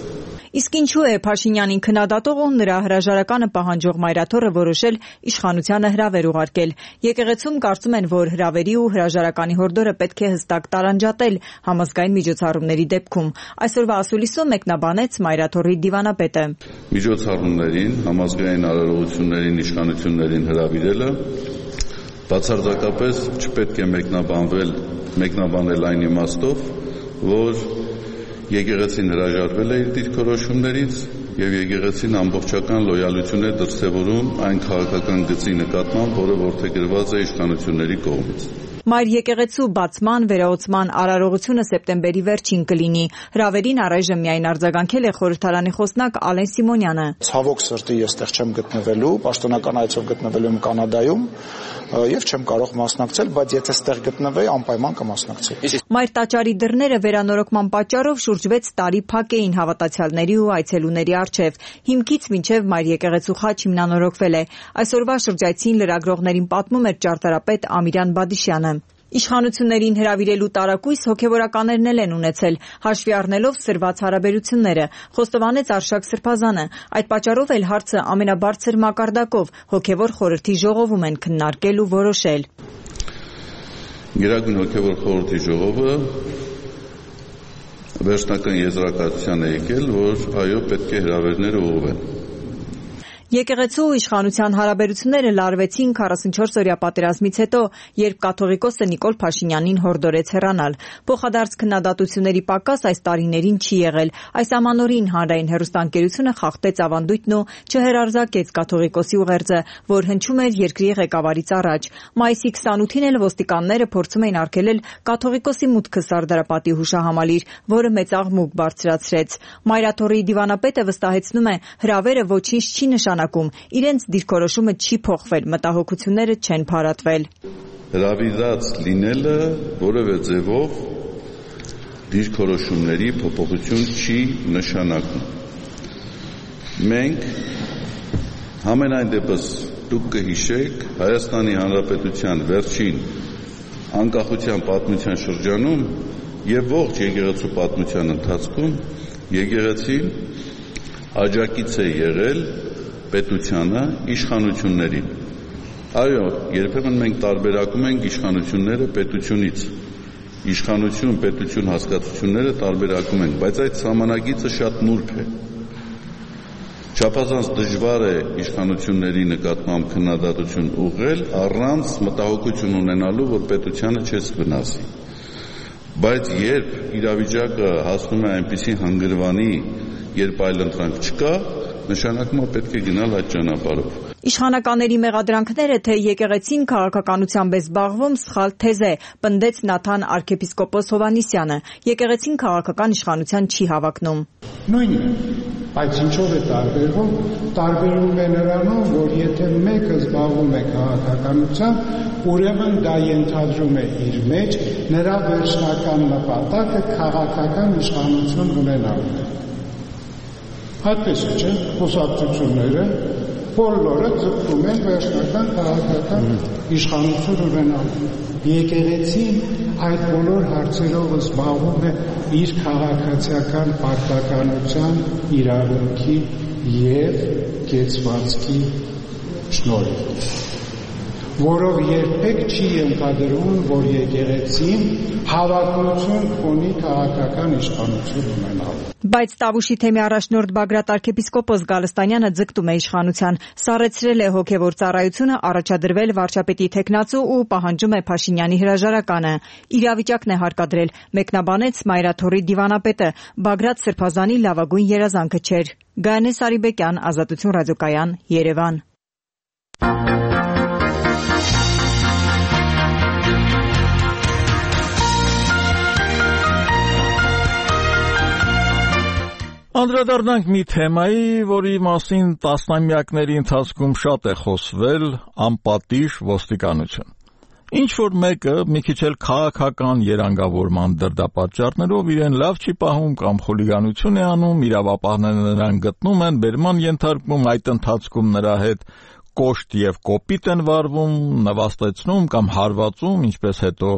Իսկ ինչու է Փաշինյանին քննադատող ու նրա հրաժարականը պահանջող Մայրաթորը որոշել իշխանությանը հրավեր ուղարկել։ Եկեղեցում կարծում են, որ հրավերի ու հրաժարականի հորդորը պետք է հստակ տարանջատել համազգային միջոցառումների դեպքում։ Այսօրվա ասուլիսում մեկնաբանեց Մայրաթորի դիվանապետը։ Միջոցառումներին, համազգային արարողություններին իշխանություններին հրավիրելը բացարձակապես չպետք է մեկնաբանվել, մեկնաբանել այն իմաստով, որ եկեղեցին հրաժարվել է իր դիրքորոշումներից եւ եկեղեցին ամբողջական լոյալություն է դրսեւորում այն քաղաքական գծի նկատմամբ, որը որդեգրված է իշխանությունների կողմից։ Մայր եկեղեցու բացման վերաօծման արարողությունը սեպտեմբերի վերջին կլինի։ Հրավերին առայժմ միայն արձագանքել է խորհրդարանի խոսնակ Ալեն Սիմոնյանը։ Ցավոք սրտի ես այդտեղ չեմ գտնվելու, պաշտոնական այցով գտնվելու եմ Կանադայում եւ չեմ կարող մասնակցել, բայց եթե այդտեղ գտնվեի, անպայման կմասնակցեի։ Մայր տաճարի դռները վերանորոգման պատճառով շուրջ վեց տարի փակ էին հավատացյալների ու այցելուների առջև։ Հիմքից մինչև Մայր եկեղեցու խաչ հիմնանորոգվել է։ Այսօրվա շրջայցին լրագրողներին պատմում էր ճարտարապետ Ամիրյան Բադիշյանը։ Իշխանություններին հրավիրելու տարակույս հոգևորականներն էլ են ունեցել, հաշվի առնելով սրված հարաբերությունները, խոստովանեց Արշակ Սրբազանը։ Այդ պատճառով էլ հարցը ամենաբարձր մակարդակով հոգևոր խորհրդի ժողովում են քննարկել ու որոշել։ Գերագույն հոգևոր խորհրդի ժողովը վերջնական եզրակացության է եկել, որ այո, պետք է հրավերները ուղղվեն։ Եկեղեցու ու իշխանության հարաբերությունները լարվեցին քառասունչորս-օրյա պատերազմից հետո, երբ կաթողիկոսը Նիկոլ Փաշինյանին հորդորեց հեռանալ։ Փոխադարձ քննադատությունների պակաս այս տարիներին չի եղել։ Այս ամանորին հանրային հեռուստաընկերությունը խախտեց ավանդույթն ու չհերարզակեց կաթողիկոսի ուղերձը, որ հնչում էր երկրի ղեկավարից առաջ։ Մայիսի քսանութին էլ ոստիկանները փորձում էին արգելել կաթողիկոսի մուտքը Սարդարապատի հուշահամալիր, որը մեծ աղմուկ բարձրացրեց։ Մայրաթոռի դիվանապետը վստահեցնում է, հրավերը ոչինչ չի նշանակում, իրենց դիրքորոշումը չի փոխվել, մտահոգությունները չեն փարատվել։ Հրավիրած լինելը որևէ ձևով դիրքորոշումների փոփոխություն չի նշանակում։ Մենք համենայն դեպս դուք կհիշեք Հայաստանի Հանրապետության վերջին անկախության պատմության շրջանում եւ ողջ եկեղեցու պատմության ընթացքում եկեղեցին աջակից է եղել պետությանը, իշխանություններին։ Այո, երբեմն մենք տարբերակում ենք իշխանությունները պետությունից։ Իշխանություն, պետություն հասկացությունները տարբերակում ենք, բայց այդ սահմանագիծը շատ նուրբ է։ Չափազանց դժվար է իշխանությունների նկատմամբ քննադատություն ուղղել առանց մտահոգություն ունենալու, որ պետությանը չես վնասի։ Բայց երբ իրավիճակը հասնում է այնպիսի հանգրվանի, երբ այլընտրանք չկա, նշանակում է պետք է գնալ այդ ճանապարհով։ Իշխանականների մեղադրանքները, թե եկեղեցին քաղաքականությամբ է զբաղվում, սխալ թեզ է, պնդեց Նաթան arczepiskopos Հովհաննիսյանը։ Եկեղեցին քաղաքական իշխանության չի հավակնում։ Նույնն է, բայց ինչով է տարբերվում, տարբերվում է նրանով, որ եթե մեկը զբաղվում է քաղաքականությամբ, ուրեմն դա ենթադրում է իր մեջ նրա վերջնական նպատակը քաղաքական իշխանություն ունենալն է։ Այդպես է, չէ՞, խոսակցությունները բոլորը ձգտում են վերջնական քաղաքական իշխանություն ունենալու։ Եկեղեցին այդ բոլոր հարցերով զբաղվում է իր քաղաքացիական պարտականության, իրավունքի և կեցվածքի շնորհիվ, որով երբեք չի ենթադրվում, որ եկեղեցին հավակնություն ունի քաղաքական իշխանություն ունենալու։ Բայց Տավուշի թեմի առաջնորդ Բագրատ arczepiskopos Գալստանյանը ձգտում է իշխանության, սառեցրել է հոգևոր ծառայությունը, առաջադրվել վարչապետի թեկնածու ու պահանջում է Փաշինյանի հրաժարականը։ Իրավիճակն է հարկադրել, մեկնաբանեց Մայրաթոռի դիվանապետը, Բագրատ Սրբազանի լավագույն երազանքը չէր։ Գայանե Սարիբեկյան, Ազատություն ռադիոկայան, Երևան։ Անդրադառնանք մի թեմայի, որի մասին տասնամյակների ընթացքում շատ է խոսվել՝ անպատիժ ոստիկանություն։ Ինչ որ մեկը մի քիչ էլ քաղաքական երանգավորման դրդապատճառներով իրեն լավ չի պահում կամ խուլիգանություն է անում, իրավապահները նրան գտնում են, բերման ենթարկում, այդ ընթացքում նրա հետ կոշտ եւ կոպիտ են վարվում, նվաստեցնում կամ հարվածում, ինչպես հետո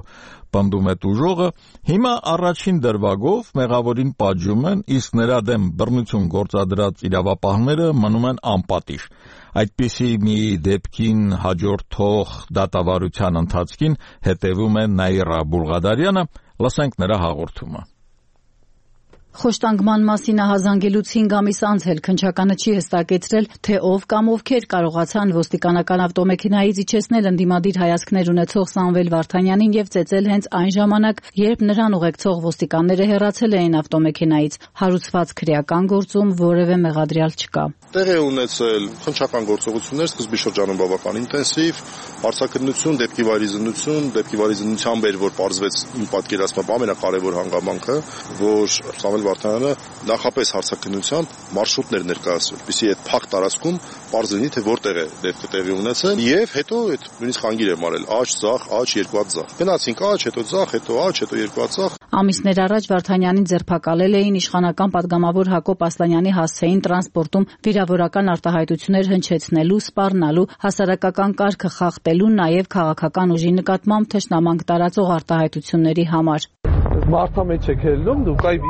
պնդում է տուժողը, հիմա առաջին դրվագով մեղավորին պատժում են, իսկ նրա դեմ բռնություն գործադրած իրավապահները մնում են անպատիժ։ Այդպիսի մի դեպքին հաջորդող դատավարության ընթացքին հետևում է Նաիրա Բուլղադարյանը, լսենք նրա հաղորդումը։ Խոշտանգման մասին ահազանգելուց հինգ ամիս անց էլ քննչականը չի հստակեցրել, թե ով կամ ովքեր կարողացան ոստիկանական ավտոմեքենայից իջեցնել ընդդիմադիր հայացքներ ունեցող Սամվել Վարդանյանին եւ ծեծել հենց այն ժամանակ, երբ նրան ուղեկցող ոստիկանները հեռացել էին ավտոմեքենայից։ Հարուցված քրեական գործում որևէ մեղադրյալ չկա։ Տեղի ունեցել քննչական գործողություններ սկզբի շրջանում բավական ինտենսիվ, հարցաքննություն, դեպքի վայրիզնություն, դեպքի վայրիզնությամբ էր, որ պարզվեց իմ պատկերացմամբ ամենակարևոր հանգամանքը, որ Սամվել Սամվել Վարդանյանը նախապես հարցաքննությամբ մարշրուտներ ներկայացրել, որպեսզի այդ փակ տարածքում պարզ լինի, թե որտեղ է դեպքը տեղի ունեցել, եւ հետո այդ նույնիսկ խանգիր է մարել աջ, ձախ, աջ, երկու հատ ձախ։ Գնացինք աջ, հետո ձախ, հետո աջ, հետո երկու հատ ձախ։ Ամիսներ առաջ Վարդանյանին ձերբակալել էին իշխանական падգամավոր Հակոբ Ասլանյանի հասցեին տրանսպորտում վիրավորական արտահայտություններ հնչեցնելու, սպառնալու, հասարակական կարգը խախտելու, նաև քաղաքական ուժի նկատմամբ թշնամանք տարածող արտահայտությունների համար։ Մարդա մեջ եք ելնում, դուք այ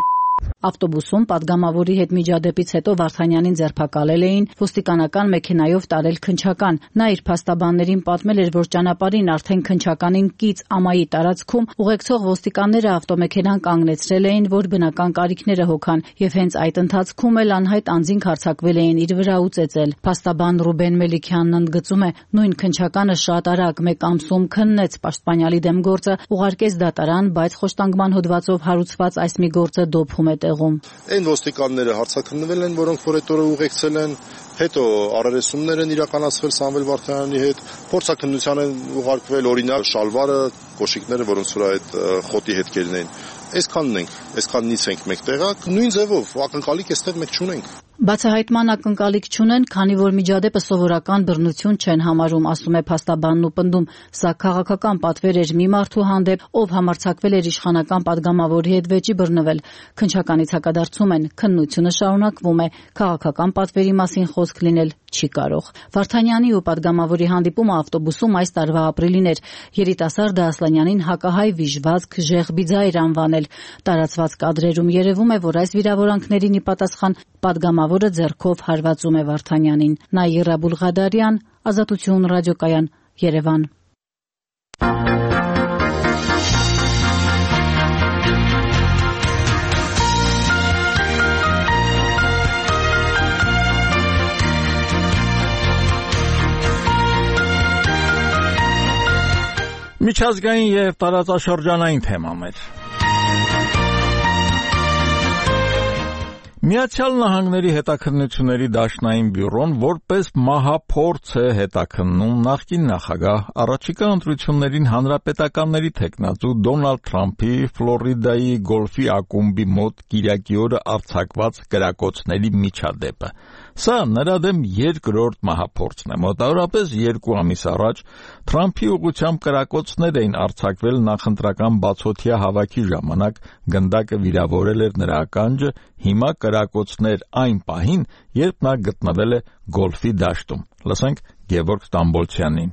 Ավտոբուսում падգամավորի հետ միջադեպից հետո Վարդանյանին ձերբակալել էին, ոստիկանական մեքենայով տարել քննչական։ Նա իր փաստաբաններին պատմել էր, որ ճանապարհին արդեն քննչականին կից ամայի տարածքում ուղեկցող ոստիկանները ավտոմեքենան կանգնեցրել էին, որ բնական կարիքները հոգան, եւ հենց այդ ընթացքում էլ անհայտ անձինք հարձակվել էին իր վրա ու ծեծել։ Փաստաբան Ռուբեն Մելիքյանն ընդգծում է, նույն քննչականը շատ արագ մեկ ամսում քննեց պաշտպանյալի դեմ գործը, ուղարկեց դատարան, բայց խոշտանգման հոդվածով հարուցված այս մի գործը դոփում է տեղում։ Այն ոստիկանները հարցաքննվել են, որոնք որ այդ օրը ուղեկցել են, հետո առերեսումներ են իրականացվել Սամվել Վարդանյանի հետ, փորձաքննության են ուղարկվել օրինակ շալվարը, կոշիկները, որոնց վրա այդ խոտի հետքերն էին։ Այսքանն ենք, այսքանից ենք մեկ տեղակ, նույն ձևով ակնկալիք այստեղ մեկ չունենք։ Բացահայտման ակնկալիք չունեն, քանի որ միջադեպը սովորական բռնություն չեն համարում, ասում է փաստաբանն ու պնդում, սա քաղաքական պատվեր էր մի մարդու հանդեպ, ով համարձակվել էր իշխանական падգամավորի հետ վեճի բռնվել։ Քննչականից հակադարձում են, քննությունը շարունակվում է, քաղաքական պատվերի մասին խոսք լինել չի կարող։ Վարդանյանի ու падգամավորի հանդիպումը ավտոբուսում այս տարվա ապրիլին էր։ Երիտասարդը Ասլանյանին հակահայ վիժվածք Ժեղբի ձայր անվանել։ Տարածված կադրերում երևում է, որ այս վիրավորանքներին ի պատասխան падգամավորը ձեռքով հարվածում է Վարդանյանին։ Նաիրա Բուլղադարյան, Ազատություն ռադիոկայան, Երևան։ Միջազգային եւ տարածաշրջանային թեմաներ։ Միացյալ Նահանգների հետաքննությունների դաշնային բյուրոն որպես մահափորձ է հետաքննում նախկին նախագահ առաջիկա ընտրություններին հանրապետականների թեկնածու Դոնալդ Թրամփի Ֆլորիդայի գոլֆի ակումբի մոտ կիրակի օրը արձակված կրակոցների միջադեպը։ Սա նրա դեմ երկրորդ մահափորձն է։ Մոտավորապես երկու ամիս առաջ Թրամփի ուղղությամբ կրակոցներ էին արձակվել նախընտրական բացօթյա հավաքի ժամանակ, գնդակը վիրավորել էր նրա ականջը, հիմա կրակոցներ այն պահին, երբ նա գտնվել է գոլֆի դաշտում։ Լսենք Գևորգ Ստամբոլցյանին։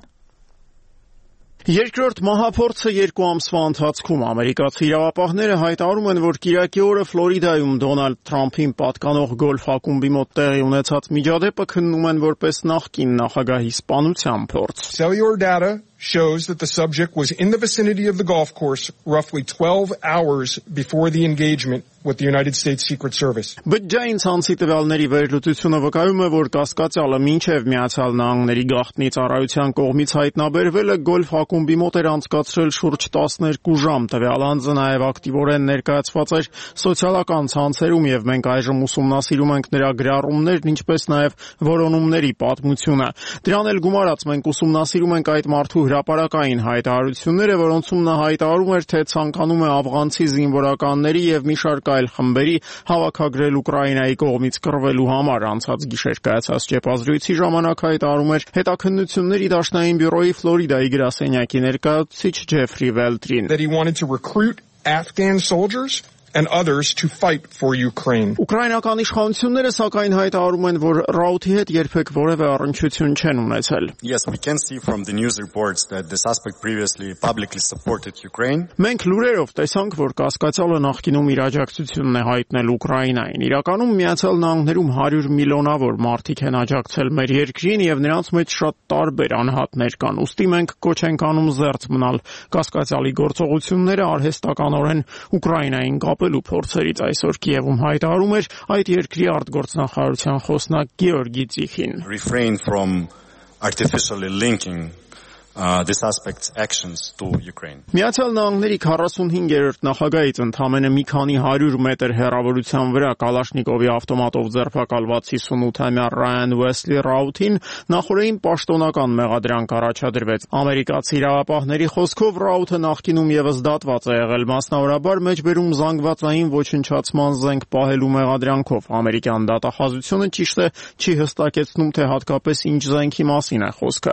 Երկրորդ մահափորձը երկու ամսվա ընթացքում ամերիկացի իրավապահները հայտարարում են, որ կիրակի օրը Ֆլորիդայում Դոնալդ Թրամփին պատկանող գոլֆ ակումբի մոտ տեղի ունեցած միջադեպը քննում են որպես նախկին նախագահի սպանության փորձ։ Cellular data shows that the subject was in the vicinity of the golf course roughly twelve hours before the engagement with the United States Secret Service. Բջջային ցանցի տվյալների վերլուծությունը վկայում է, որ կասկածյալը մինչև Միացյալ Նահանգների գաղտնի ծառայության կողմից հայտնաբերվելը գոլֆ ակումբի մոտ էր անցկացրել շուրջ տասներկու ժամ։ Տվյալ անձը նաև ակտիվորեն ներկայացված էր սոցիալական ցանցերում եւ մենք այժմ ուսումնասիրում ենք նրա գրառումներն, ինչպես նաև որոնումների պատմությունը։ Դրան էլ գումարած մենք ուսումնասիրում ենք այդ մարդու հրապարակային հայտարարությունները, որոնցում նա հայտարարում էր, թե ցանկանում է աֆղանցի զինվորականների եւ մի շարք այլ խմբերի հավաքագրել Ուկրաինայի կողմից կռվելու համար։ Անցած գիշեր կայացած ճեպազրույցի ժամանակ հայտարարում էր հետաքննությունների դաշնային բյուրոյի Ֆլորիդայի գրասենյակի ներկայացուցիչ Ջեֆրի Վելտրին։ That he wanted to recruit Afghan soldiers and others to fight for Ukraine. Ուկրաինական իշխանությունները սակայն հայտարարում են, որ Ռաութի հետ երբեք որևէ առնչություն չեն ունեցել։ Yes, we can see from the news reports that the suspect previously publicly supported Ukraine. Մենք լուրերով տեսանք, որ կասկածյալը նախկինում իր աջակցությունն է հայտնել Ուկրաինային։ Իրականում Միացյալ Նահանգներում հարյուր միլիոնավոր մարդիկ են աջակցել մեր երկրին եւ նրանց մեջ շատ տարբեր անհատներ կան։ Ուստի մենք կոչ ենք անում զերծ մնալ կասկածյալի գործողությունները արհեստականորեն Ուկրաինային կապելու փորձերից։ Այսօր Կիևում հայտարարում էր այդ երկրի արտգործնախարարության խոսնակ Գեորգի Ծիխին։ Refrain from artificially linking uh, this aspect's actions to Ukraine. Միացյալ Նահանգների քառասունհինգերորդ նախագահից ընդամենը մի քանի հարյուր մետր հեռավորության վրա Կալաշնիկովի ավտոմատով ձերբակալված հիսունութամյա Ռայան Ուեսլի Ռաութին նախորդին պաշտոնական մեղադրանք առաջադրվեց։ Ամերիկացի իրավապահների խոսքով Ռաութը նախկինում եւս դատված է եղել մասնավորաբար մեջբերում զանգվածային ոչնչացման զենք պահելու մեղադրանքով։ Ամերիկյան դատախազությունը ճիշտ է չի հստակեցնում, թե հատկապես ինչ զենքի մասին է խոսքը։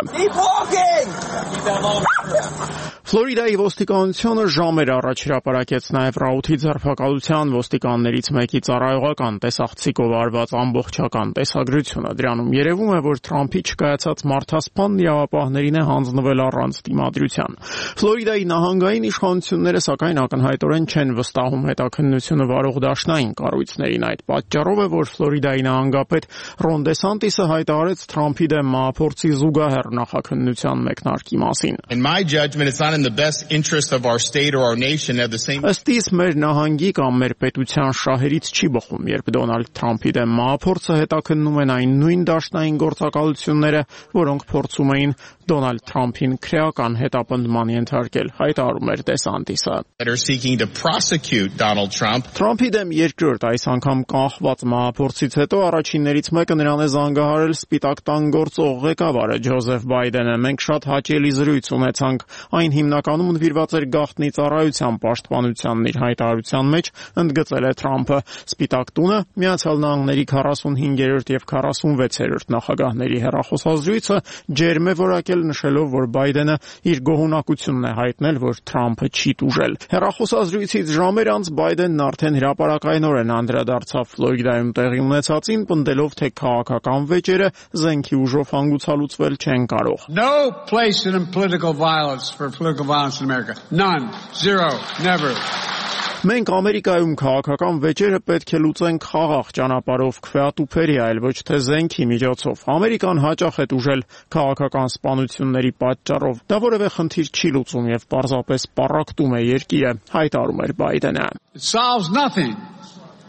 Ֆլորիդայի ոստիկանությունը ժամեր առաջ հրապարակեց նաև Ռաութի ձերբակալության ոստիկաններից մեկի ծառայողական տեսախցիկով արված ամբողջական տեսագրությունը։ Դրանում երևում է, որ Թրամփի չկայացած մարդասպան իրավապահներին է հանձնվել առանց դիմադրության։ Ֆլորիդայի նահանգային իշխանությունները սակայն ակնհայտորեն չեն վստահում հետաքննությունը վարող դաշնային կառույցներին։ Այդ պատճառով է, որ Ֆլորիդայի նահանգապետ Ռոն Դեսանտիսը հայտարարեց Թրամփի դեմ մահափորձի զուգահեռ նախաքննության մեկնարկի մասին։ In my judgment, it's not in the best interest of our state or our nation at the same time. Ըստ իս մեր նահանգի կամ մեր պետության շահերից չի բխում, երբ Դոնալդ Թրամփի դեմ մահափորձը հետաքննում են այն նույն դաշնային գործակալությունները, որոնք փորձում էին Դոնալդ Թրամփին քրեական հետապնդման ենթարկել, հայտարարում էր Դեսանտիսը։ That are seeking to prosecute Donald Trump. Թրամփի դեմ երկրորդ այս անգամ կանխված մահափորձից հետո առաջիններից մեկը նրան է զանգահարել Սպիտակ տան գործող ղեկավարը Ջոզեֆ Բայդենը։ Մենք շատ հաճելի զրույց ունեցանք, այն հիմնականում նվիրված էր գաղտնի ծառայության պաշտպանությանն իր հայտարարության մեջ ընդգծել է Թրամփը։ Սպիտակ տունը Միացյալ Նահանգների քառասունհինգերորդ եւ քառասունվեցերորդ նախագահների հեռախոսազրույցը ջերմ է որակել նշելով, որ Բայդենը իր գոհունակությունն է հայտնել, որ Թրամփը չի տուժել։ Հեռախոսազրույցից ժամեր անց Բայդենն արդեն հրապարակայնորեն անդրադարձավ Ֆլորիդայում տեղի ունեցածին, պնդելով, թե քաղաքական վեճերը զենքի ուժով հանգուցալուծվել չեն կարող։ No place in political violence for political violence in America. None. Zero. Never. Մենք Ամերիկայում քաղաքական վեճերը պետք է լուծենք խաղաղ ճանապարհով քվեատուփերի, այլ ոչ թե զենքի միջոցով։ Ամերիկան հաճախ է տուժել քաղաքական սպանությունների պատճառով։ Դա որևէ խնդիր չի լուծում եւ պարզապես պառակտում է երկիրը, հայտարարում էր Բայդենը։ It solves nothing.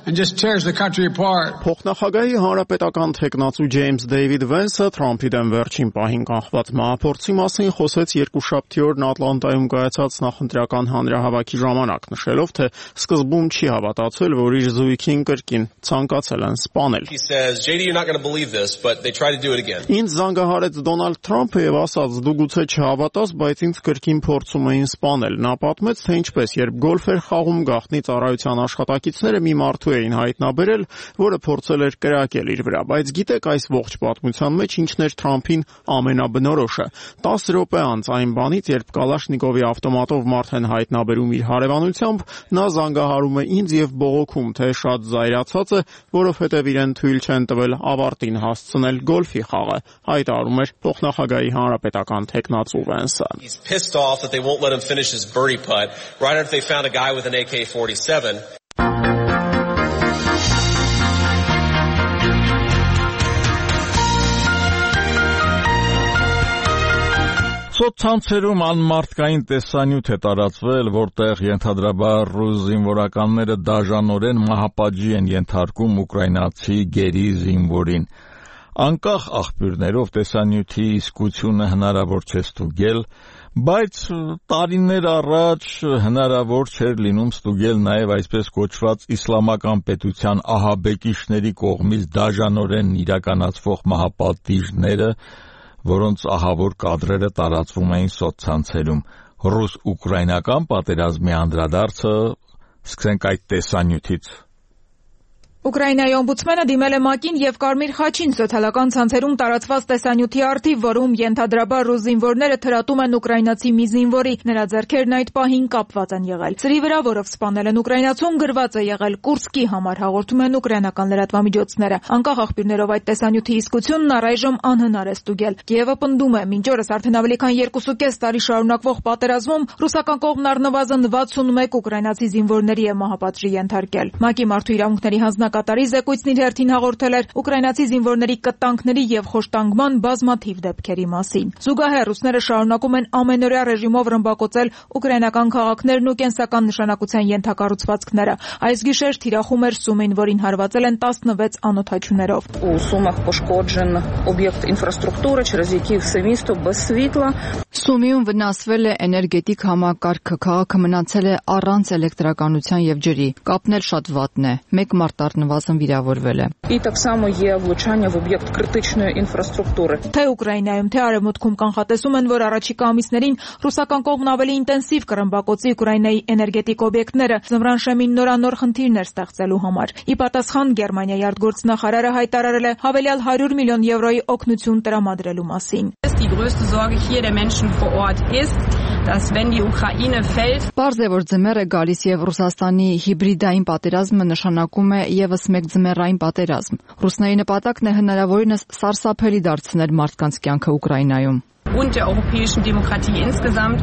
And just tears the country apart. Փոխնախագահի հանրապետական թեկնածու Ջեյմս Դեյվիդ Վենսը Թրամփի դեմ վերջին պահին կանխված մահափորձի մասին խոսեց երկուշաբթի օրն Ատլանտայում կայացած նախընտրական հանրահավաքի ժամանակ, նշելով, թե սկզբում չի հավատացել, որ իր զույգին կրկին ցանկացել են սպանել։ He says, J D, you're not going to believe this, but they try to do it again. Ինձ զանգահարեց Դոնալդ Թրամփը եւ ասաց, դու գուցե չհավատաս, բայց ինձ կրկին փորձում էին սպանել։ Նա պատմեց, թե ինչպես, երբ գոլֆ էր խաղում գաղտնի ծառայության աշխատակիցները մի մարդու էին հայտնաբերել, որը փորձել էր կրակել իր վրա, բայց գիտեք այս ողջ պատմության մեջ ինչն էր Թրամփին ամենաբնորոշը։ տասը րոպե անց այն բանից, երբ Կալաշնիկովի ավտոմատով մարդ են հայտնաբերում իր հարևանությամբ, նա զանգահարում է ինձ եւ բողոքում, թե շատ զայրացած է, որովհետեւ իրեն թույլ չեն տվել ավարտին հասցնել գոլֆի խաղը, հայտարարում էր փոխնախագահի հանրապետական թեկնածու Վենսը։ He's pissed off that they won't let him finish his birdie putt right after they found a guy with an A K forty-seven. Սոցցանցերում անմարդկային տեսանյութ է տարածվել, որտեղ ենթադրաբար ռուս զինվորականները դաժանորեն մահապատժի են ենթարկում ուկրաինացի գերի զինվորին։ Անկախ աղբյուրներով տեսանյութի իսկությունը հնարավոր չէ ստուգել, բայց տարիներ առաջ հնարավոր չէր լինում ստուգել նաև այսպես կոչված իսլամական պետության ահաբեկիչների կողմից դաժանորեն իրականացվող մահապատիժները, որոնց ահավոր կադրերը տարածվում էին սոցցանցերում։ Ռուս-ուկրաինական պատերազմի անդրադարձը սկսենք այդ տեսանյութից։ Ուկրաինայի օմբուդսմենը դիմել է ՄԱԿ-ին եւ Կարմիր խաչին սոցիալական ցանցերում տարածված տեսանյութի առթիվ, որում ենթադրաբար ռուս զինվորները թրատում են ուկրաինացի մի զինվորի, նրա ձեռքերն այդ պահին կապված են եղել։ Սրի վրա, որով սպանել են ուկրաինացուն, գրված է եղել Կուրսկի համար, հաղորդում են ուկրաինական լրատվամիջոցները։ Անկախ աղբյուրներով այդ տեսանյութի իսկությունն առայժմ անհնար է ստուգել։ Կիևը պնդում է, մինչ օրս արդեն ավելի քան երկուսուկես տարի շարունակվող պատերազմում ռուսական կողմն առնվազն վաթսունմեկ ուկրաինացի զինվորների է մահապատժի ենթարկել։ ՄԱԿ-ի մարդու իրավունքների հանձնական Հանրապետակատարի զեկույցն իր հերթին հաղորդել էր ուկրաինացի զինվորների կտանքների եւ խոշտանգման բազմաթիվ դեպքերի մասին։ Զուգահեռ ռուսները շարունակում են ամենօրյա ռեժիմով ռմբակոծել ուկրաինական քաղաքներն ու կենսական նշանակության ենթակառուցվածքները։ Այս գիշեր թիրախում էր Սումին, որին հարվածել են տասնվեց անօդաչուներով։ У Сумах пошкоджен об'єкт інфраструктури, через який все місто без світла. Սումիում վնասվել է էներգետիկ համակարգը, քաղաքը մնացել է առանց էլեկտրականության եւ ջրի։ Կապն էլ շատ վատն է։ Մեկ մարդ առնվազն վիրավորվել է։ І так само є влучання в об'єкт критичної інфраструктури. Թե Ուկրաինայում, թե Արևմուտքում կանխատեսում են, որ առաջիկա ամիսներին ռուսական կողմն ավելի ինտենսիվ կռմբակոծի Ուկրաինայի էներգետիկ օբյեկտները, ձմռան շեմին նորանոր խնդիրներ ստեղծելու համար։ Ի պատասխան Գերմանիայի արտգործնախարարը հայտարարել է հավելյալ հարյուր միլիոն եվրոյի օգնություն տրամադրելու մասին։ Die größte Sorge hier der Menschen vor Ort ist, dass wenn die Ukraine fällt, Պարզ է, որ ձմեռ է գալիս եւ Ռուսաստանի հիբրիդային պատերազմը նշանակում է եւս մեկ ձմեռային պատերազմ։ Ռուսների նպատակն է հնարավորինս սարսափելի դարձնել մարդկանց կյանքը Ուկրաինայում։ Und der europäischen Demokratie insgesamt.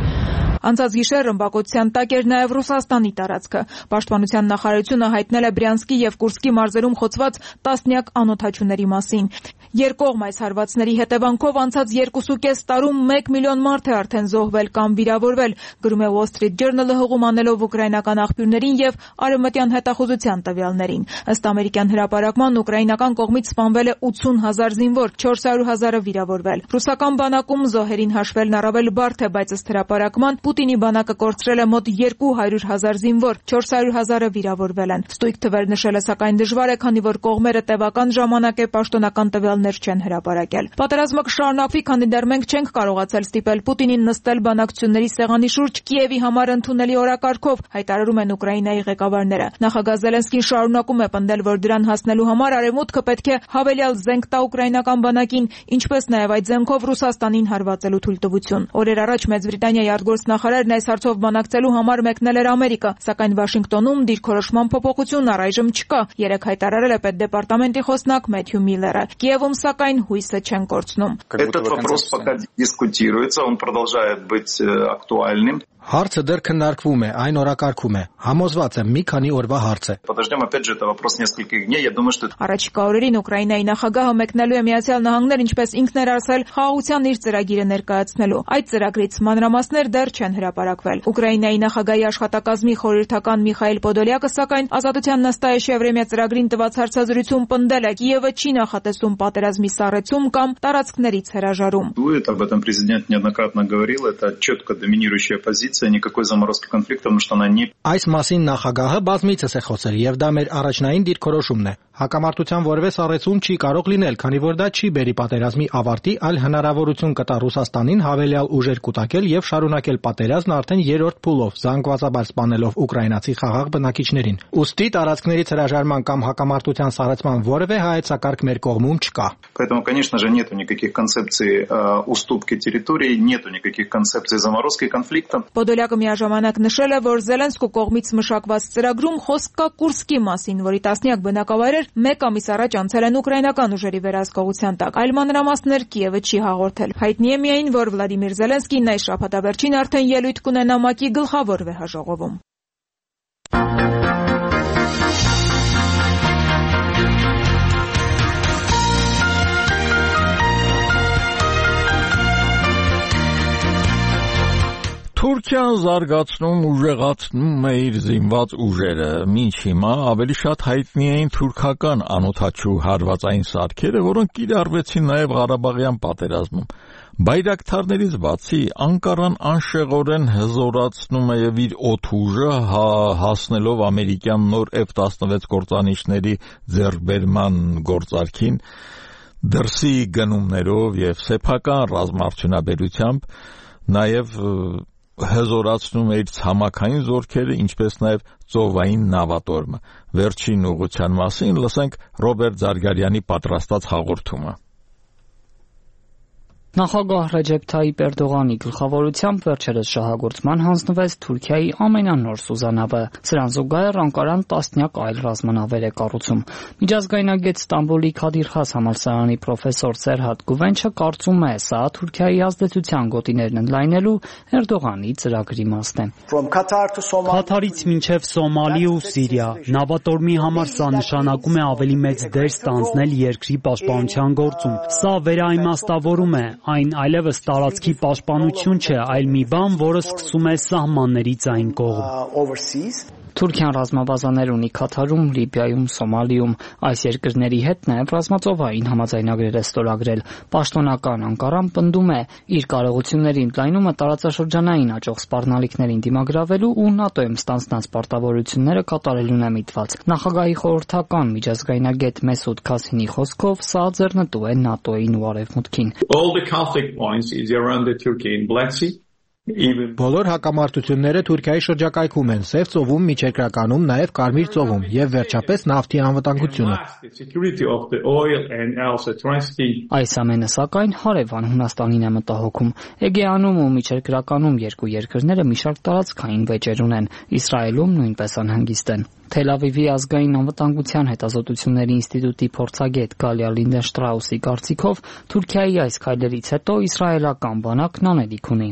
Անցած գիշեր ռմբակոծության տակ էր նաև Ռուսաստանի տարածքը։ Պաշտպանության նախարարությունը հայտնել է Բրյանսկի եւ Կուրսկի մարզերում խոցված տասնյակ անօդաչուների մասին։ Երկկողմ այս հարվածների հետևանքով անցած երկուսուկես տարում մեկ միլիոն մարդ է արդեն զոհվել կամ վիրավորվել, գրում է Wall Street Journal-ը հղում անելով ուկրաինական աղբյուրներին եւ արևմտյան հետախուզության տվյալներին։ Ըստ ամերիկյան հրապարակման ուկրաինական կողմից սպանվել է ութուն հազար զինվոր, չորս հարյուր հազարը վիրավորվել։ Ռուսական բանակում զոհերին հաշվելն առավել բարդ է, բայց ըստ հրապարակման Պուտինի բանակը կորցրել է մոտ երկու հարյուր հազար զինվոր, չորս հարյուր հազարը վիրավորվել են։ Ստույգ թվեր նշելը սակայն դժվար է, քանի որ կողմերը տևական ժամանակ է պաշտոնական տվյալներ չեն հրապարակել։ Պատերազմը կշարունակվի, քանի դեռ մենք չենք կարողացել ստիպել Պուտինին նստել բանակցությունների սեղանի շուրջ Կիևի համար ընդունելի օրակարգով, հայտարարում են Ուկրաինայի ղեկավարները։ Նախագահ Զելենսկին շարունակում է պնդել, որ դրան հասնելու համար Արևմուտքը պետք է հավելյալ զենք տա ուկրաինական բանակին, ինչպես նաև այդ զենքով Ռուսաստանին հարվածելու թույլտվություն։ Օրեր առաջ Մեծ Բրիտանիայի արտգործնախարարն այս հարցով բանակցելու համար մեկնել էր Ամերիկա, սակայն Վաշինգտոնում դիրքորոշման փոփոխություն առայժմ չկա, երեկ հայտարարել է պետդեպարտամենտի խոսնակ Մեթյու Միլլերը։ Կիևում սակայն հույսը չեն կորցնում։ Этот вопрос пока дискутируется, он продолжает быть актуальным. Հարցը դեռ քննարկվում է, այն օրակարգում է։ Համոզված եմ, մի քանի օրվա հարց է։ Подождем, опять же, это вопрос нескольких дней. Я думаю, что Առաջիկա օրերին Ուկրաինայի նախագահը մեկնելու է Միացյալ Նահանգներ, ինչպես ինքն էր ասել, խաղաղության իր ծրագիրը ներկայացնելու։ Այդ ծրագրից մանրամասներ դեռ չեն հրապարակվել։ Ուկրաինայի նախագահի աշխատակազմի խորհրդական Միխայել Պոդոլյակը սակայն Ազատության նստայեշևրեմիա ծրագրին տված հարցազրույցում պնդել է, Կիևը չի նախատեսում պատերազմի սառեցում կամ տարածքներից հրաժարում։ Об этом президент неоднократно говорил, это четко доминирующая позиция, никакой заморозки конфликта, потому что она не Այս մասին նախագահը բազմիցս է խոսել, եւ դա մեր առաջնային դիրքորոշումն է։ Հակամարտության որևէ սառեցում չի կարող լինել, քանի որ դա չի բերի պատերազմի ավարտի, այլ հնարավորություն կտա Ռուսաստանին հավելյալ ուժեր կուտակել եւ շարունակել պատերազմն արդեն երրորդ փուլով, զանգվածաբար սպանելով ուկրաինացի խաղաղ բնակիչներին։ Ուստի տարածքներից հրաժարման կամ հակամարտության սառեցման որևէ հայեցակարգ մեր կողմում չկա։ Поэтому, конечно же, нету никаких концепций э, уступки территории, нету никаких концепций заморозки конфликта. Պոդոլյակը միաժամանակ նշել է, որ Զելենսկու կողմից մշակված ծրագրում խոսք կա Կուրսկի մասին, որի տասնյակ բնակավայրեր մեկ ամիս առաջ անցել են ուկրաինական ուժերի վերահսկողության տակ։ Այլ մանրամասներ Կիևը չի հաղորդել։ Հայտնի է միայն, որ Վլադիմիր Զելենսկին այս շաբաթավերջին արդեն ելույթ կունենա ՄԱԿ-ի գլխավոր վեհաժողովում։ Թուրքիան զարգացնում ուժեղացնում է իր զինված ուժերը։ Մինչ հիմա ավելի շատ հայտնի էին թուրքական անօդաչու հարվածային սարքերը, որոնք կիրառվեցին նաև Ղարաբաղյան պատերազմում։ Բայրակթարներից բացի Անկարան անշեղորեն հզորացնում է եւ իր օդուժը հասնելով ամերիկյան նոր F տասնվեց գործանիչների ձեռքբերման գործարքին դրսի գնումներով եւ սեփական ռազմաարդյունաբերությամբ, նաեւ հզորացնում է իր ցամաքային զորքերը, ինչպես նաև ծովային նավատորմը։ Վերջին ուղղության մասին լսենք Ռոբերտ Զարգարյանի պատրաստած հաղորդումը։ Նախագահ Ռեջեփ Թայիպ Էրդողանի գլխավորությամբ վերջերս շահագործման հանձնվեց Թուրքիայի ամենանոր սուզանավը։ Սրան զուգահեռ Անկարան տասնյակ այլ ռազմանավեր է կառուցում։ Միջազգայնագետ Ստամբուլի Քադիր Խաս համալսարանի պրոֆեսոր Սերհատ Գուվենչը կարծում է, սա Թուրքիայի ազդեցության գոտիներն ընդլայնելու Էրդողանի ծրագրի մասն է։ Քաթարից մինչև Սոմալի ու Սիրիա, նավատորմի համար սա նշանակում է ավելի մեծ դեր ստանձնել երկրի պաշտպանության գործում։ Սա վերաիմաստավորում է, այն այլևս տարածքի պաշտպանություն չէ, այլ մի բան, որը սկսում է սահմաններից այն կողմ։ Թուրքիան ռազմաբազաներ ունի Քաթարում, Լիբիայում, Սոմալիում։ Այս երկրների հետ նաև ռազմածովային համաձայնագրեր է ստորագրել։ Պաշտոնական Անկարան պնդում է, իր կարողությունների ընդլայնումը տարածաշրջանային աճող սպառնալիքներին դիմագրավելու ու ՆԱՏՕ-ում ստանձնած պարտավորությունները կատարելուն է միտված։ Նախագահի խորհրդական միջազգայնագետ Մեսուդ Քասինի խոսքով, սա ձեռնտու է ՆԱՏՕ-ին ու Արևմուտքին։ Բոլոր հակամարտությունները Թուրքիայի շրջակայքում են, Սև ծովում, Միջերկրականում, նաև Կարմիր ծովում եւ վերջապես նավթի անվտանգությունը։ Այս ամենը սակայն հարևան Հունաստանին է մտահոգում։ Էգեանում ու Միջերկրականում երկու երկրները մի շարք տարածքային վեճեր ունեն, Իսրայելում նույնպես անհանգիստ են։ Թել Ավիվի ազգային անվտանգության հետազոտությունների ինստիտուտի փորձագետ Գալիա Լինդենշտրաուսի կարծիքով Թուրքիայի այս քայլերից հետո իսրայելական բանակն անելիք ունի։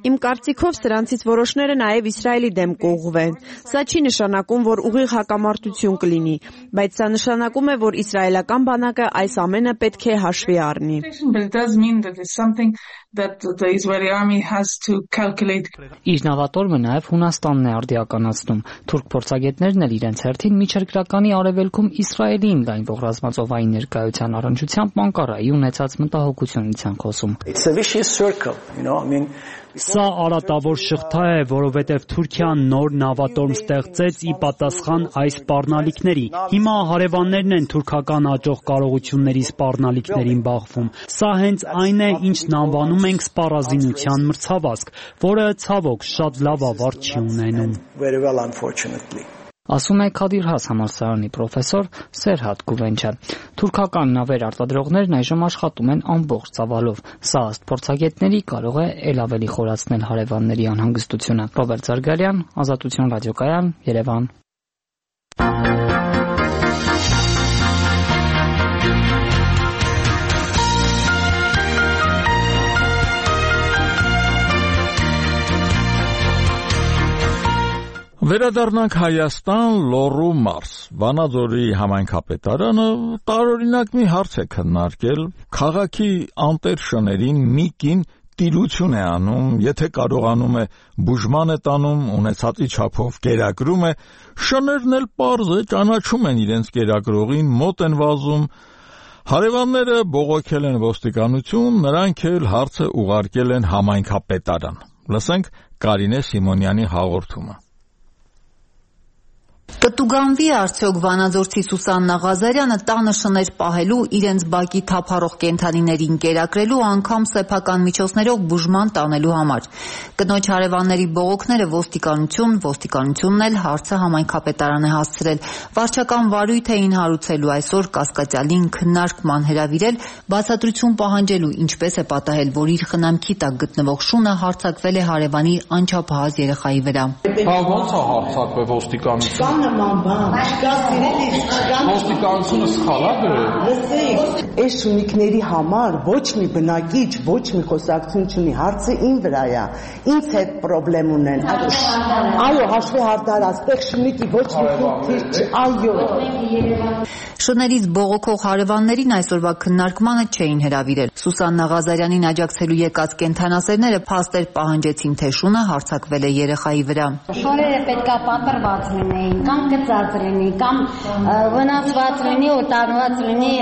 Իմ կարծիքով սրանցից որոշները նաև Իսրայելի դեմ կուղղվեն։ Սա չի նշանակում, որ ուղիղ հակամարտություն կլինի, բայց սա նշանակում է, որ իսրայելական բանակը այս ամենը պետք է հաշվի առնի։ Իր նավատորմը նաև Հունաստանն է արդիականացնում։ Թուրք փորձագետներն էլ իրենց հերթին Միջերկրականի արևելքում Իսրայելին գայնվող ռազմածովային ներկայության առնչությամբ Անկարայի ունեցած մտահոգությունից են խոսում։ Սա արատավոր շղթա է, որովհետև Թուրքիան նոր նավատորմ ստեղծեց ի պատասխան այս սպառնալիքների։ Հիմա հարևաններն են թուրքական աճող կարողությունների սպառնալիքներին բախվում։ Սա հենց այն է, ինչն անվանում ենք սպառազինության մրցավազք, որը ցավոք շատ լավ ավարտ չի ունենում։ Ասում է Քադիր Խաս համալսարանի պրոֆեսոր Սերհատ Գուվենչը։ Թուրքական նավեր արտադրողներն այժմ աշխատում են ամբողջ ծավալով։ Սա ըստ փորձագետների կարող է ել ավելի խորացնել հարևանների անհանգստությունը։ Ռոբերտ Զարգարյան, Ազատություն ռադիոկայան, Երևան։ Վերադառնանք Հայաստան, Լոռու մարզ։ Վանաձորի համայնքապետարանը տարօրինակ մի հարց է քննարկել, քաղաքի անտեր շներին մի կին տիրություն է անում, եթե կարողանում է բուժման է տանում, ունեցածի չափով կերակրում է, շներն էլ պարզ է, ճանաչում են իրենց կերակրողին, մոտ են վազում, հարևանները բողոքել են ոստիկանություն, նրանք էլ հարցը ուղարկել են համայնքապետարան։ Լսենք Կարինե Սիմոնյանի հաղորդումը։ Կտուգանվի արդյոք վանաձորցի Սուսաննա Ղազարյանը տանը շներ պահելու, իրենց բակի թափառող կենդանիներին կերակրելու, անգամ սեփական միջոցներով բուժման տանելու համար։ Կնոջ հարևանների բողոքները ոստիկանություն, ոստիկանությունն էլ հարցը համայնքապետարան է հասցրել։ Վարչական վարույթ էին հարուցելու այսօր կասկածյալին քննարկման հրավիրել, բացատրություն պահանջելու, ինչպես է պատահել, որ իր խնամքի տակ գտնվող շունը հարձակվել է հարևանի անչափահաս երեխայի վրա։ Հա ո՞նց է հարձակվել ոստիկանություն։ Նման բան, չկա սիրելի, չկա ոստիկանությունը սխալ է գրել։ Լսեք, այս շունիկների համար ոչ մի բնակիչ, ոչ մի խոսակցություն չունի, հարցը իմ վրա է, ինձ հետ խնդրեմ ունեն։ Այո, հաշվի հարդար, այստեղ շունիկի ոչ մի խնդիր չի, այո։ Շներից բողոքող հարևաններին այսօրվա քննարկմանը չէին հրավիրել։ Սուսաննա Ղազարյանին աջակցելու եկած կենդանասերները փաստեր պահանջեցին, թե շունը հարձակվել է երեխայի վրա։ Շորերը պետքա պատրված լինեին, կամ գծած լինի, կամ վնասված լինի, օտարված լինի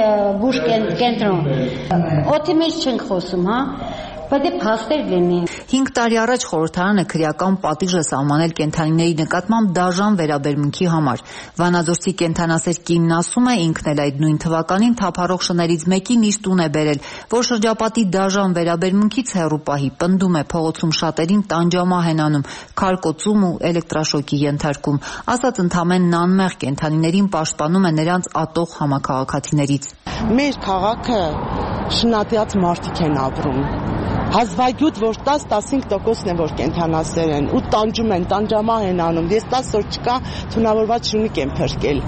բուժ կենտրոն։ Օդի մեջ չենք խոսում, հա։ Բայց է փաստեր լինի։ հինգ տարի առաջ խորհրդարանը քրեական պատիժ է սահմանել կենդանիների նկատմամբ դաժան վերաբերմունքի համար։ Վանաձորցի կենդանասեր կինն ասում է, ինքն էլ այդ նույն թվականին թափառող շներից մեկին իր տուն է բերել, որ շրջապատի դաժան վերաբերմունքից հեռու պահի, պնդում է, փողոցում շատերին տանջամահ են անում, քարկոծում ու էլեկտրաշոկի ենթարկում, ասած ընդամենն անմեղ կենդանիներին պաշտպանում է նրանց ատող համաքաղաքացիներից։ Մեր քաղաքը շնատյաց մարդիկ են ապրում։ Հազվագյուտ, որ տաս-տասնհինգ տոկոսն է, որ կենդանասեր են, ու տանջում են, տանջամահ են անում, ես տասը օր չկա, թունավորված շունիկ եմ փրկել։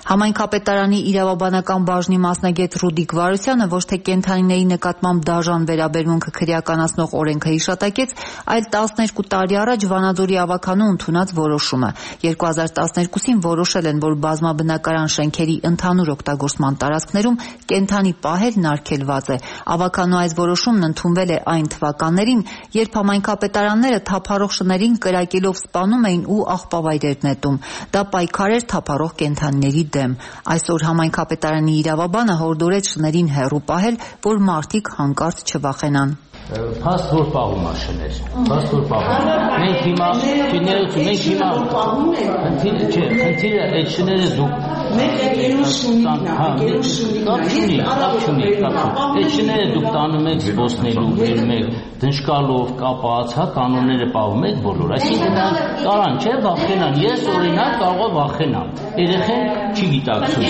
Համայնքապետարանի իրավաբանական բաժնի մասնագետ Ռուդիկ Վարուսյանը ոչ թե կենդանիների նկատմամբ դաժան վերաբերմունքը քրեականացնող օրենքը հիշատակեց, այլ տասներկու տարի առաջ Վանաձորի ավականու ընդունած որոշումը։ երկու հազար տասներկուսին որոշել են, որ բազմաբնակարան շենքերի ընդհանուր օգտագործման տարածքներում կենդանի պահելն արգելված է։ Ավականու այս որոշումն ընդունվել է այն թվականներին, երբ համայնքապետարանները թափառող շներին կրակելով սպանում էին ու աղբավայրեր նետում։ Դա պայքար էր թափառող կենդանիների դեմ։ Այսօր համայնքապետարանի իրավաբանը հորդորեց շներին հեռու պահել, որ մարդիկ հանկարծ չվախենան։ Փաստ որ պահում է շներ, փաստ որ պահում։ Մենք հիմա շներություն, մենք հիմա խնդիրը չէ, խնդիրը այդ շները դուք մենք եկերուս շունիկն է, եկերուս շունիկն է, կապ չունի, կապ չունի։ Այդ շները դուք տանում եք զբոսնելու, բերում եք դնշկալով կապած, հա, կանոնները պահում եք բոլոր։ Այսինքն կարան չէ վախենան, ես օրինակ կարող եմ վախենամ։ Երեխեն չի գիտակցում։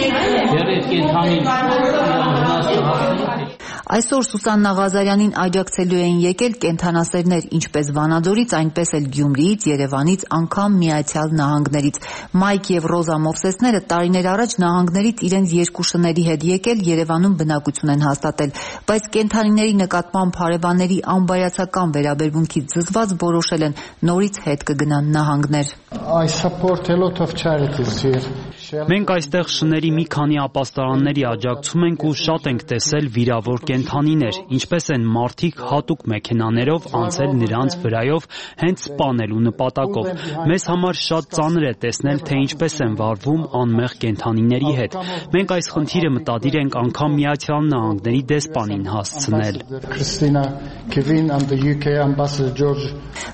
Դեռ այդ կենդանին վնասը հասնի։ Այսօր Սուսաննա Ղազարյանին աջակցելու էին եկել կենդանասերներ ինչպես Վանաձորից, այնպես էլ Գյումրիից, Երևանից, անգամ Միացյալ Նահանգներից։ Մայք եւ Ռոզա Մովսեսները տարիներ առաջ նահանգներից իրենց երկու շների հետ եկել Երևանում բնակություն են հաստատել, բայց կենդանիների նկատմամբ հարևանների անբայացական վերաբերմունքից զզված որոշել են նորից հետ կգնան նահանգներ։ I support a lot of charities here. Մենք այստեղ շների մի քանի ապաստարանների աջակցում ենք ու շատ ենք տեսել վիրավոր կենդանիներ, ինչպես են մարդիկ հատուկ մեքենաներով անցել նրանց վրայով հենց սպանելու նպատակով։ Մեզ համար շատ ծանր է տեսնել, թե ինչպես են վարվում անմեղ կենդանիների հետ։ Մենք այս խնդիրը մտադիր ենք անգամ Միացյալ Նահանգների դեսպանին հասցնել։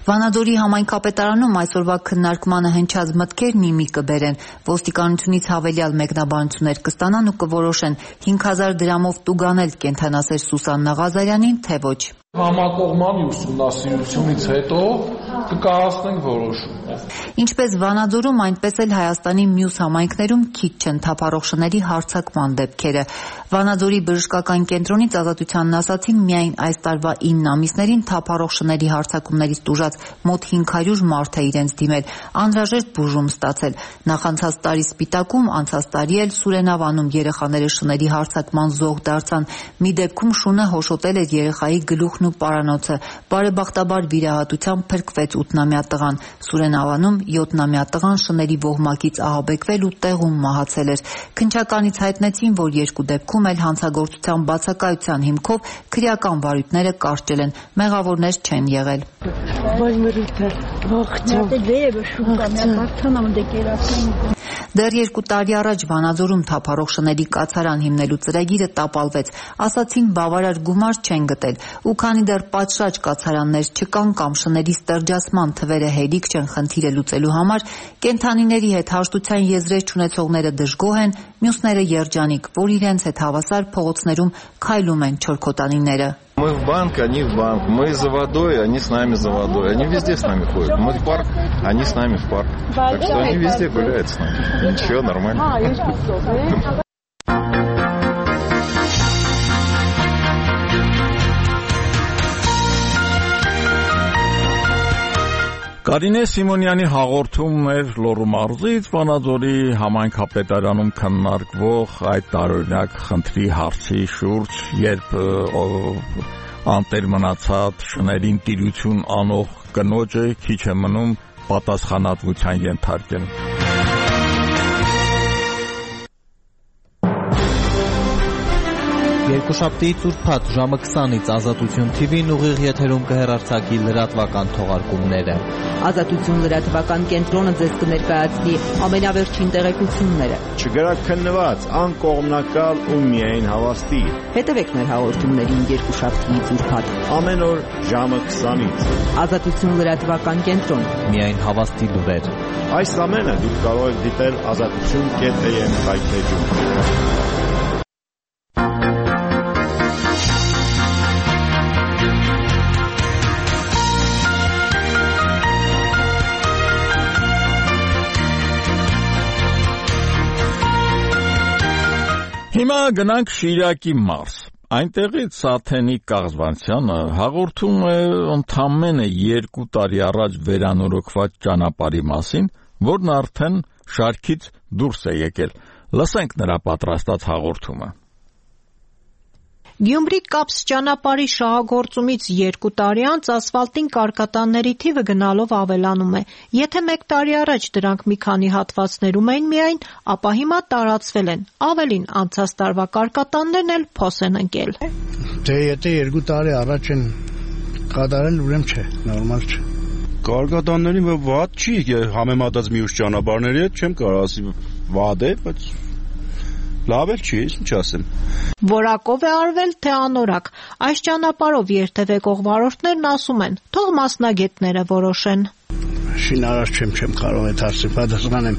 Վանաձորի համայնքապետարանում այսօրվա քննարկմանը հնչած մտքերն իմի կբերեն, ոստիկանությունից հավելյալ մեկնաբանություններ կստանան ու կորոշեն հինգ հազար դրամով տուգանել կենդանասեր Սուսաննա Ղազարյանին, թե ոչ։ Համակողմանի ուսումնասիրությունից հետո կկայացնենք որոշումը։ Ինչպես Վանաձորում, այնպես էլ Հայաստանի մյուս համայնքներում քիչ չեն թափառող շների հարձակման դեպքերը։ Վանաձորի բժշկական կենտրոնից Ազատությանն ասացին, միայն այս տարվա ինը ամիսներին թափառող շների հարձակումներից տուժած մոտ հինգ հարյուր մարդ է իրենց դիմել, անհրաժեշտ բուժում ստացել։ Նախանցած տարի Սպիտակում, անցած տարի էլ Սուրենավանում երեխաները շների հարձակման զոհ դարձան։ Մի դեպքում շունը հոշոտել էր երեխայի գլուխն ու պարանոցը։ Բարեբախտաբար վիրահատությամբ փրկվեց ութնամյա տղան։ Սուրենավանում յոթնամյա տղան շների ոհմակից ահաբեկվել ու տեղում մահացել էր։ Քննչականից հայտնեցին, որ երկու դեպքում էլ հանցագործության բացակայության հիմքով քրեական վարույթները կարճել են, մեղավորներ չեն եղել։ Դեռ երկու տարի առաջ Վանաձորում թափառող շների կացարան հիմնելու ծրագիրը տապալվեց, ասացին բավարար գումար չեն գտել, ու քանի դեռ պատշաճ կացարաններ չկան կամ շների ստրջացման թվերը հերիք չեն խնդիրը լուծելու համար, կենդանիների հետ հաշտության եզրեր չունեցողները դժգոհ են, մյուսները երջանիկ, որ իրենց հետ հավասար փողոցներում քայլում են չորքոտանիները։ Мы в банк, они в банк. Мы за водой, они с нами за водой. Они везде с нами ходят. Мы в парк, они с нами в парк. Так что они везде гуляют с нами. Ничего, нормально. Կարինե Սիմոնյանի հաղորդումն էր Լոռու մարզից Վանաձորի համայնքապետարանում քննարկվող այդ տարօրինակ խնդրի հարցի շուրջ, երբ անտեր մնացած շներին տիրություն անող կնոջը քիչ է մնում պատասխանատվության ենթարկել։ Երկուշաբթի ծուրփաթ ժամը քսանից Ազատություն Թի Վին ուղիղ եթերում կհեռարձակի լրատվական թողարկումները։ Ազատություն լրատվական կենտրոնը ձեզ կներկայացնի ամենավերջին տեղեկությունները։ Չգրաքննված, անկողմնակալ ու միայն հավաստի։ Հետևեք մեր հաղորդումներին երկուշաբթի ծուրփաթ ամեն օր ժամը քսանից։ Ազատություն լրատվական կենտրոն։ Միայն հավաստի լուրեր։ Այս ամենը դուք կարող եք դիտել ազատություն կետ է եմ հայտնեջում։ Հիմա գնանք Շիրակի մարզ։ Այնտեղից Սաթենիկ Կաղզվանցյանը հաղորդում է ընդամենը երկու տարի առաջ վերանորոգված ճանապարհի մասին, որն արդեն շարքից դուրս է եկել։ Լսենք նրա պատրաստած հաղորդումը։ Գյումրի-Կապս ճանապարհի շահագործումից երկու տարի անց ասֆալտին կարկատանների թիվը գնալով ավելանում է։ Եթե մեկ տարի առաջ դրանք մի քանի հատվածներում էին միայն, ապա հիմա տարածվել են։ Ավելին, անցած տարվա կարկատաններն էլ փոս են ընկել։ Դե եթե երկու տարի առաջ են կատարել, ուրեմն չէ, նորմալ չէ։ Կարկատաններին վատ չի, համեմատած մյուս ճանապարհների հետ չեմ կարող ասի վատ է, բայց լավ էլ չի, ինչ ասեմ։ Որակով է արվել, թե անորակ։ Այս ճանապարհով երթևեկող վարորդներն ասում են, թող մասնագետները որոշեն։ Շինարար չեմ, չեմ կարող այդ հարցը պատասխանեմ։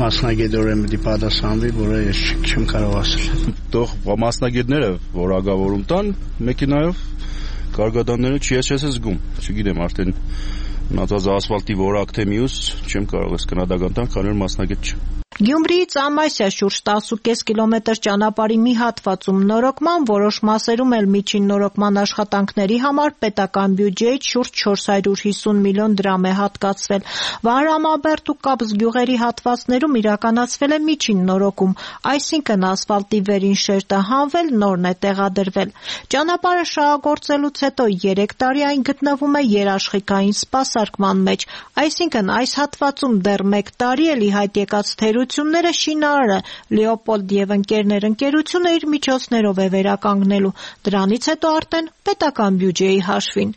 Մասնագետորեն պետք է պատասխանվի, որը ես չեմ կարող ասել։ Թող մասնագետները որակավորում տան մեքենայով, կարկատանները չի ես չես զգում։ Չգիտեմ, արդեն մնացած ասֆալտի որակ թե մյուս չեմ կարող ես կնադական տան, քանի որ մասնագետ չեմ։ Գյումրիից Ամասիա շուրջ տասը կես կիլոմետր ճանապարհի մի հատվածում նորոգման, որոշ մասերում էլ միջին նորոգման աշխատանքների համար պետական բյուջեից շուրջ չորս հարյուր հիսուն միլիոն դրամ է հատկացվել։ Վահրամաբերդ ու Կապս գյուղերի հատվածներում իրականացվել է միջին նորոգում, այսինքն ասֆալտի վերին շերտը հանվել, նորն է տեղադրվել։ Ճանապարհը շահագործելուց հետո երեք տարի այն գտնվում է երաշխիքային սպասարկման մեջ, այսինքն այս հատվածում դեռ մեկ տարի էլ ի հայտ եկած թերությունները շինարարը Լեոպոլդ եւ ընկերներ ընկերությունը իր միջոցներով է վերականգնելու, դրանից հետո արդեն պետական բյուջեի հաշվին։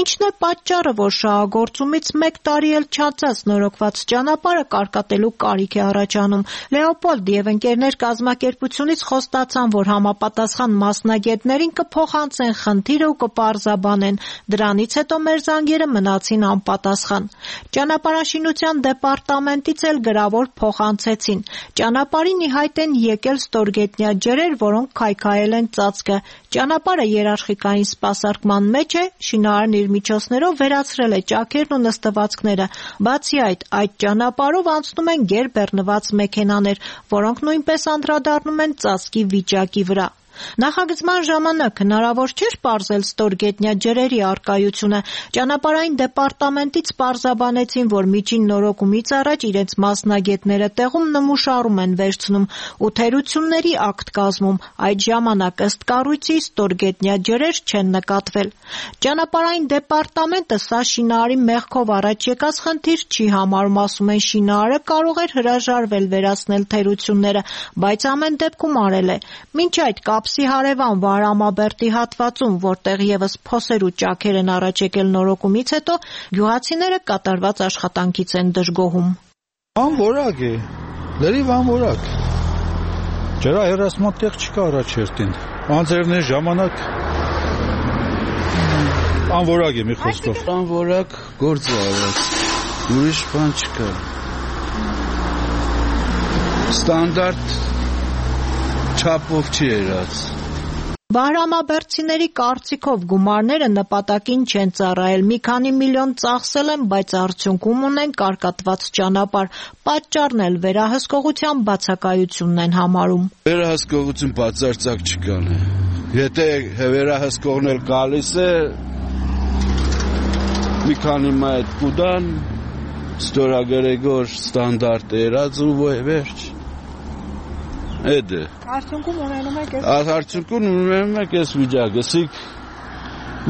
Ինչն է պատճառը, որ շահագործումից մեկ տարի էլ չանցած նորոգված ճանապարհը կարկատելու կարիք է առաջանում։ Լեոպոլդ եւ ընկերներ կազմակերպությունից խոստացան, որ համապատասխան մասնագետներին կփոխանցեն խնդիրը ու կպարզաբանեն։ Դրանից հետո մեր զանգերը մնացին անպատասխան։ Ճանապարհաշինության դեպարտամենտից էլ գրավոր փոխանցեցին։ Ճանապարհին ի հայտ են եկել ստորգետնյա ջրեր, որոնք քայքայել են ծածկը։ Ճանապարհը երաշխիքային սպասարկման մեջ է, շինարարն իր միջոցներով վերացրել է ճաքերն ու նստվածքները։ Բացի այդ, այդ ճանապարհով անցնում են գերբեռնված մեքենաներ, որոնք նույնպես անդրադառնում են ծածկի վիճակի վրա։ Նախագծման ժամանակ հնարավոր չէր պարզել ստորգետնյա ջրերի առկայությունը։ Ճանապարհային դեպարտամենտից պարզաբանեցին, որ միջին նորոգումից առաջ իրենց մասնագետները տեղում նմուշարում են վերցնում ու թերությունների ակտ կազմում։ Այդ ժամանակ ըստ կառույցի ստորգետնյա ջրեր չեն նկատվել։ Ճանապարհային դեպարտամենտը սա շինարարի մեղքով առաջ եկած խնդիր չի համարում, ասում են շինարարը կարող էր հրաժարվել վերացնել թերությունները, բայց ամեն դեպքում արել է։ Մինչ այդ Կապսի հարևան Վահրամաբերդի հատվածում, որտեղ եւս փոսեր ու ճաքեր են առաջ եկել նորոգումից հետո, գյուղացիները կատարված աշխատանքից են դժգոհում։ Անորակ է, լրիվ անորակ։ Ջրա հերասմատեղ չկա առաջերտին։ Անձերներ ժամանակ անորակ է մի խոսքով։ Անորակ գործ է արած։ Ուրիշ բան չկա։ Ստանդարտ չափով չի երած։ Վահրամաբերդցիների կարծիքով գումարները նպատակին չեն ծառայել, մի քանի միլիոն ծախսել են, բայց արդյունքում ունեն կարկատված ճանապարհ, պատճառն էլ վերահսկողության բացակայությունն են համարում։ Վերահսկողություն բացարձակ չկան։ Եթե վերահսկողն էլ գալիս է, մի քանի մայր կուդան, ստորագրեգոր ստանդարտ երած ու վերջ։ Էդ է։ Արդյունքում ունենում եք այս Արդյունքում ունենում եք այս վիճակը, սիկ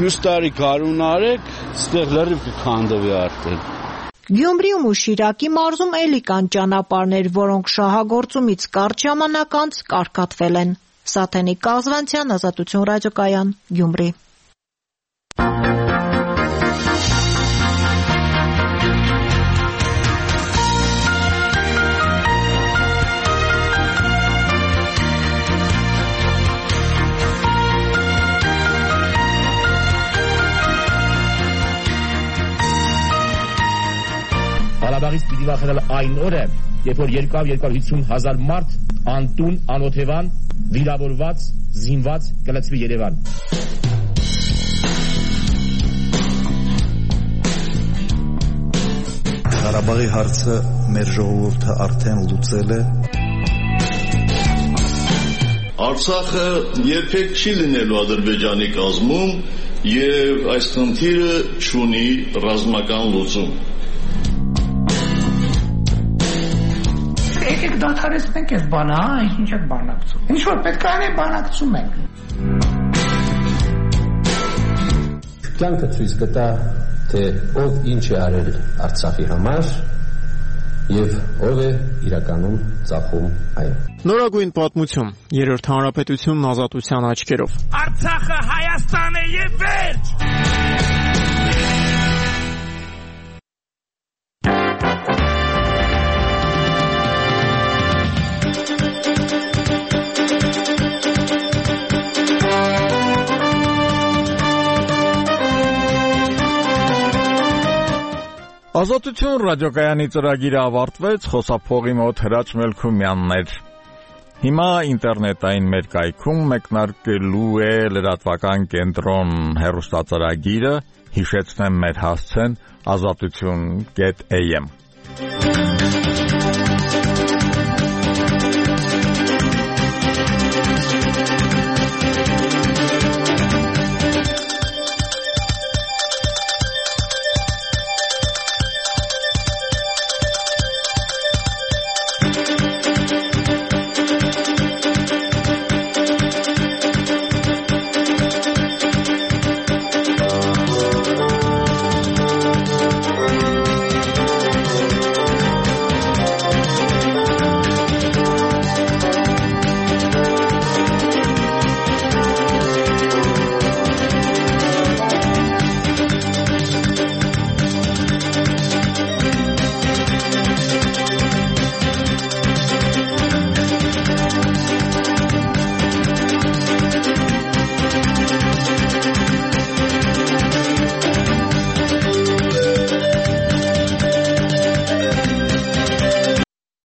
մյուս տարի կարուն արեք, ստեղ լրիվ կքանդվի արդեն։ Գյումրիում ու Շիրակի մարզում էլի կան ճանապարհներ, որոնք շահագործումից կարճ ժամանակ անց կարկատվել են։ Սաթենիկ Կազվանցյան, Ազատություն ռադիոկայան, Գյումրի։ Ղարաբաղից պիտի վախենալ այն օրը, երբ որ երկու հարյուր հիսուն հազար մարդ անտուն, անօթևան, վիրավորված, զինված կլցվի Երևան։ Ղարաբաղի հարցը մեր ժողովուրդը արդեն լուծել է։ Արցախը երբեք չի լինելու Ադրբեջանի կազմում եւ այս խնդիրը չունի ռազմական լուծում։ Եկեք դադարեցնենք այս բանը, հա, ինչ եք բանակցում։ Ինչ որ պետք է անենք, բանակցում ենք։ Կյանքը ցույց կտա, թե ով ինչ է արել Արցախի համար եւ ով է իրականում ծախում այն։ Նորագույն պատմություն, երրորդ հանրապետությունն ազատության աչքերով։ Արցախը Հայաստան է եւ վերջ։ Ազատություն ռադիոկայանի ծրագիրը ավարտվեց, խոսափողի մոտ Հրաչ Մելքումյանն էր։ Հիմա ինտերնետային մեր կայքում մեկնարկելու է լրատվական կենտրոն հեռուստածրագիրը, հիշեցնեմ մեր հասցեն ազատություն կետ am։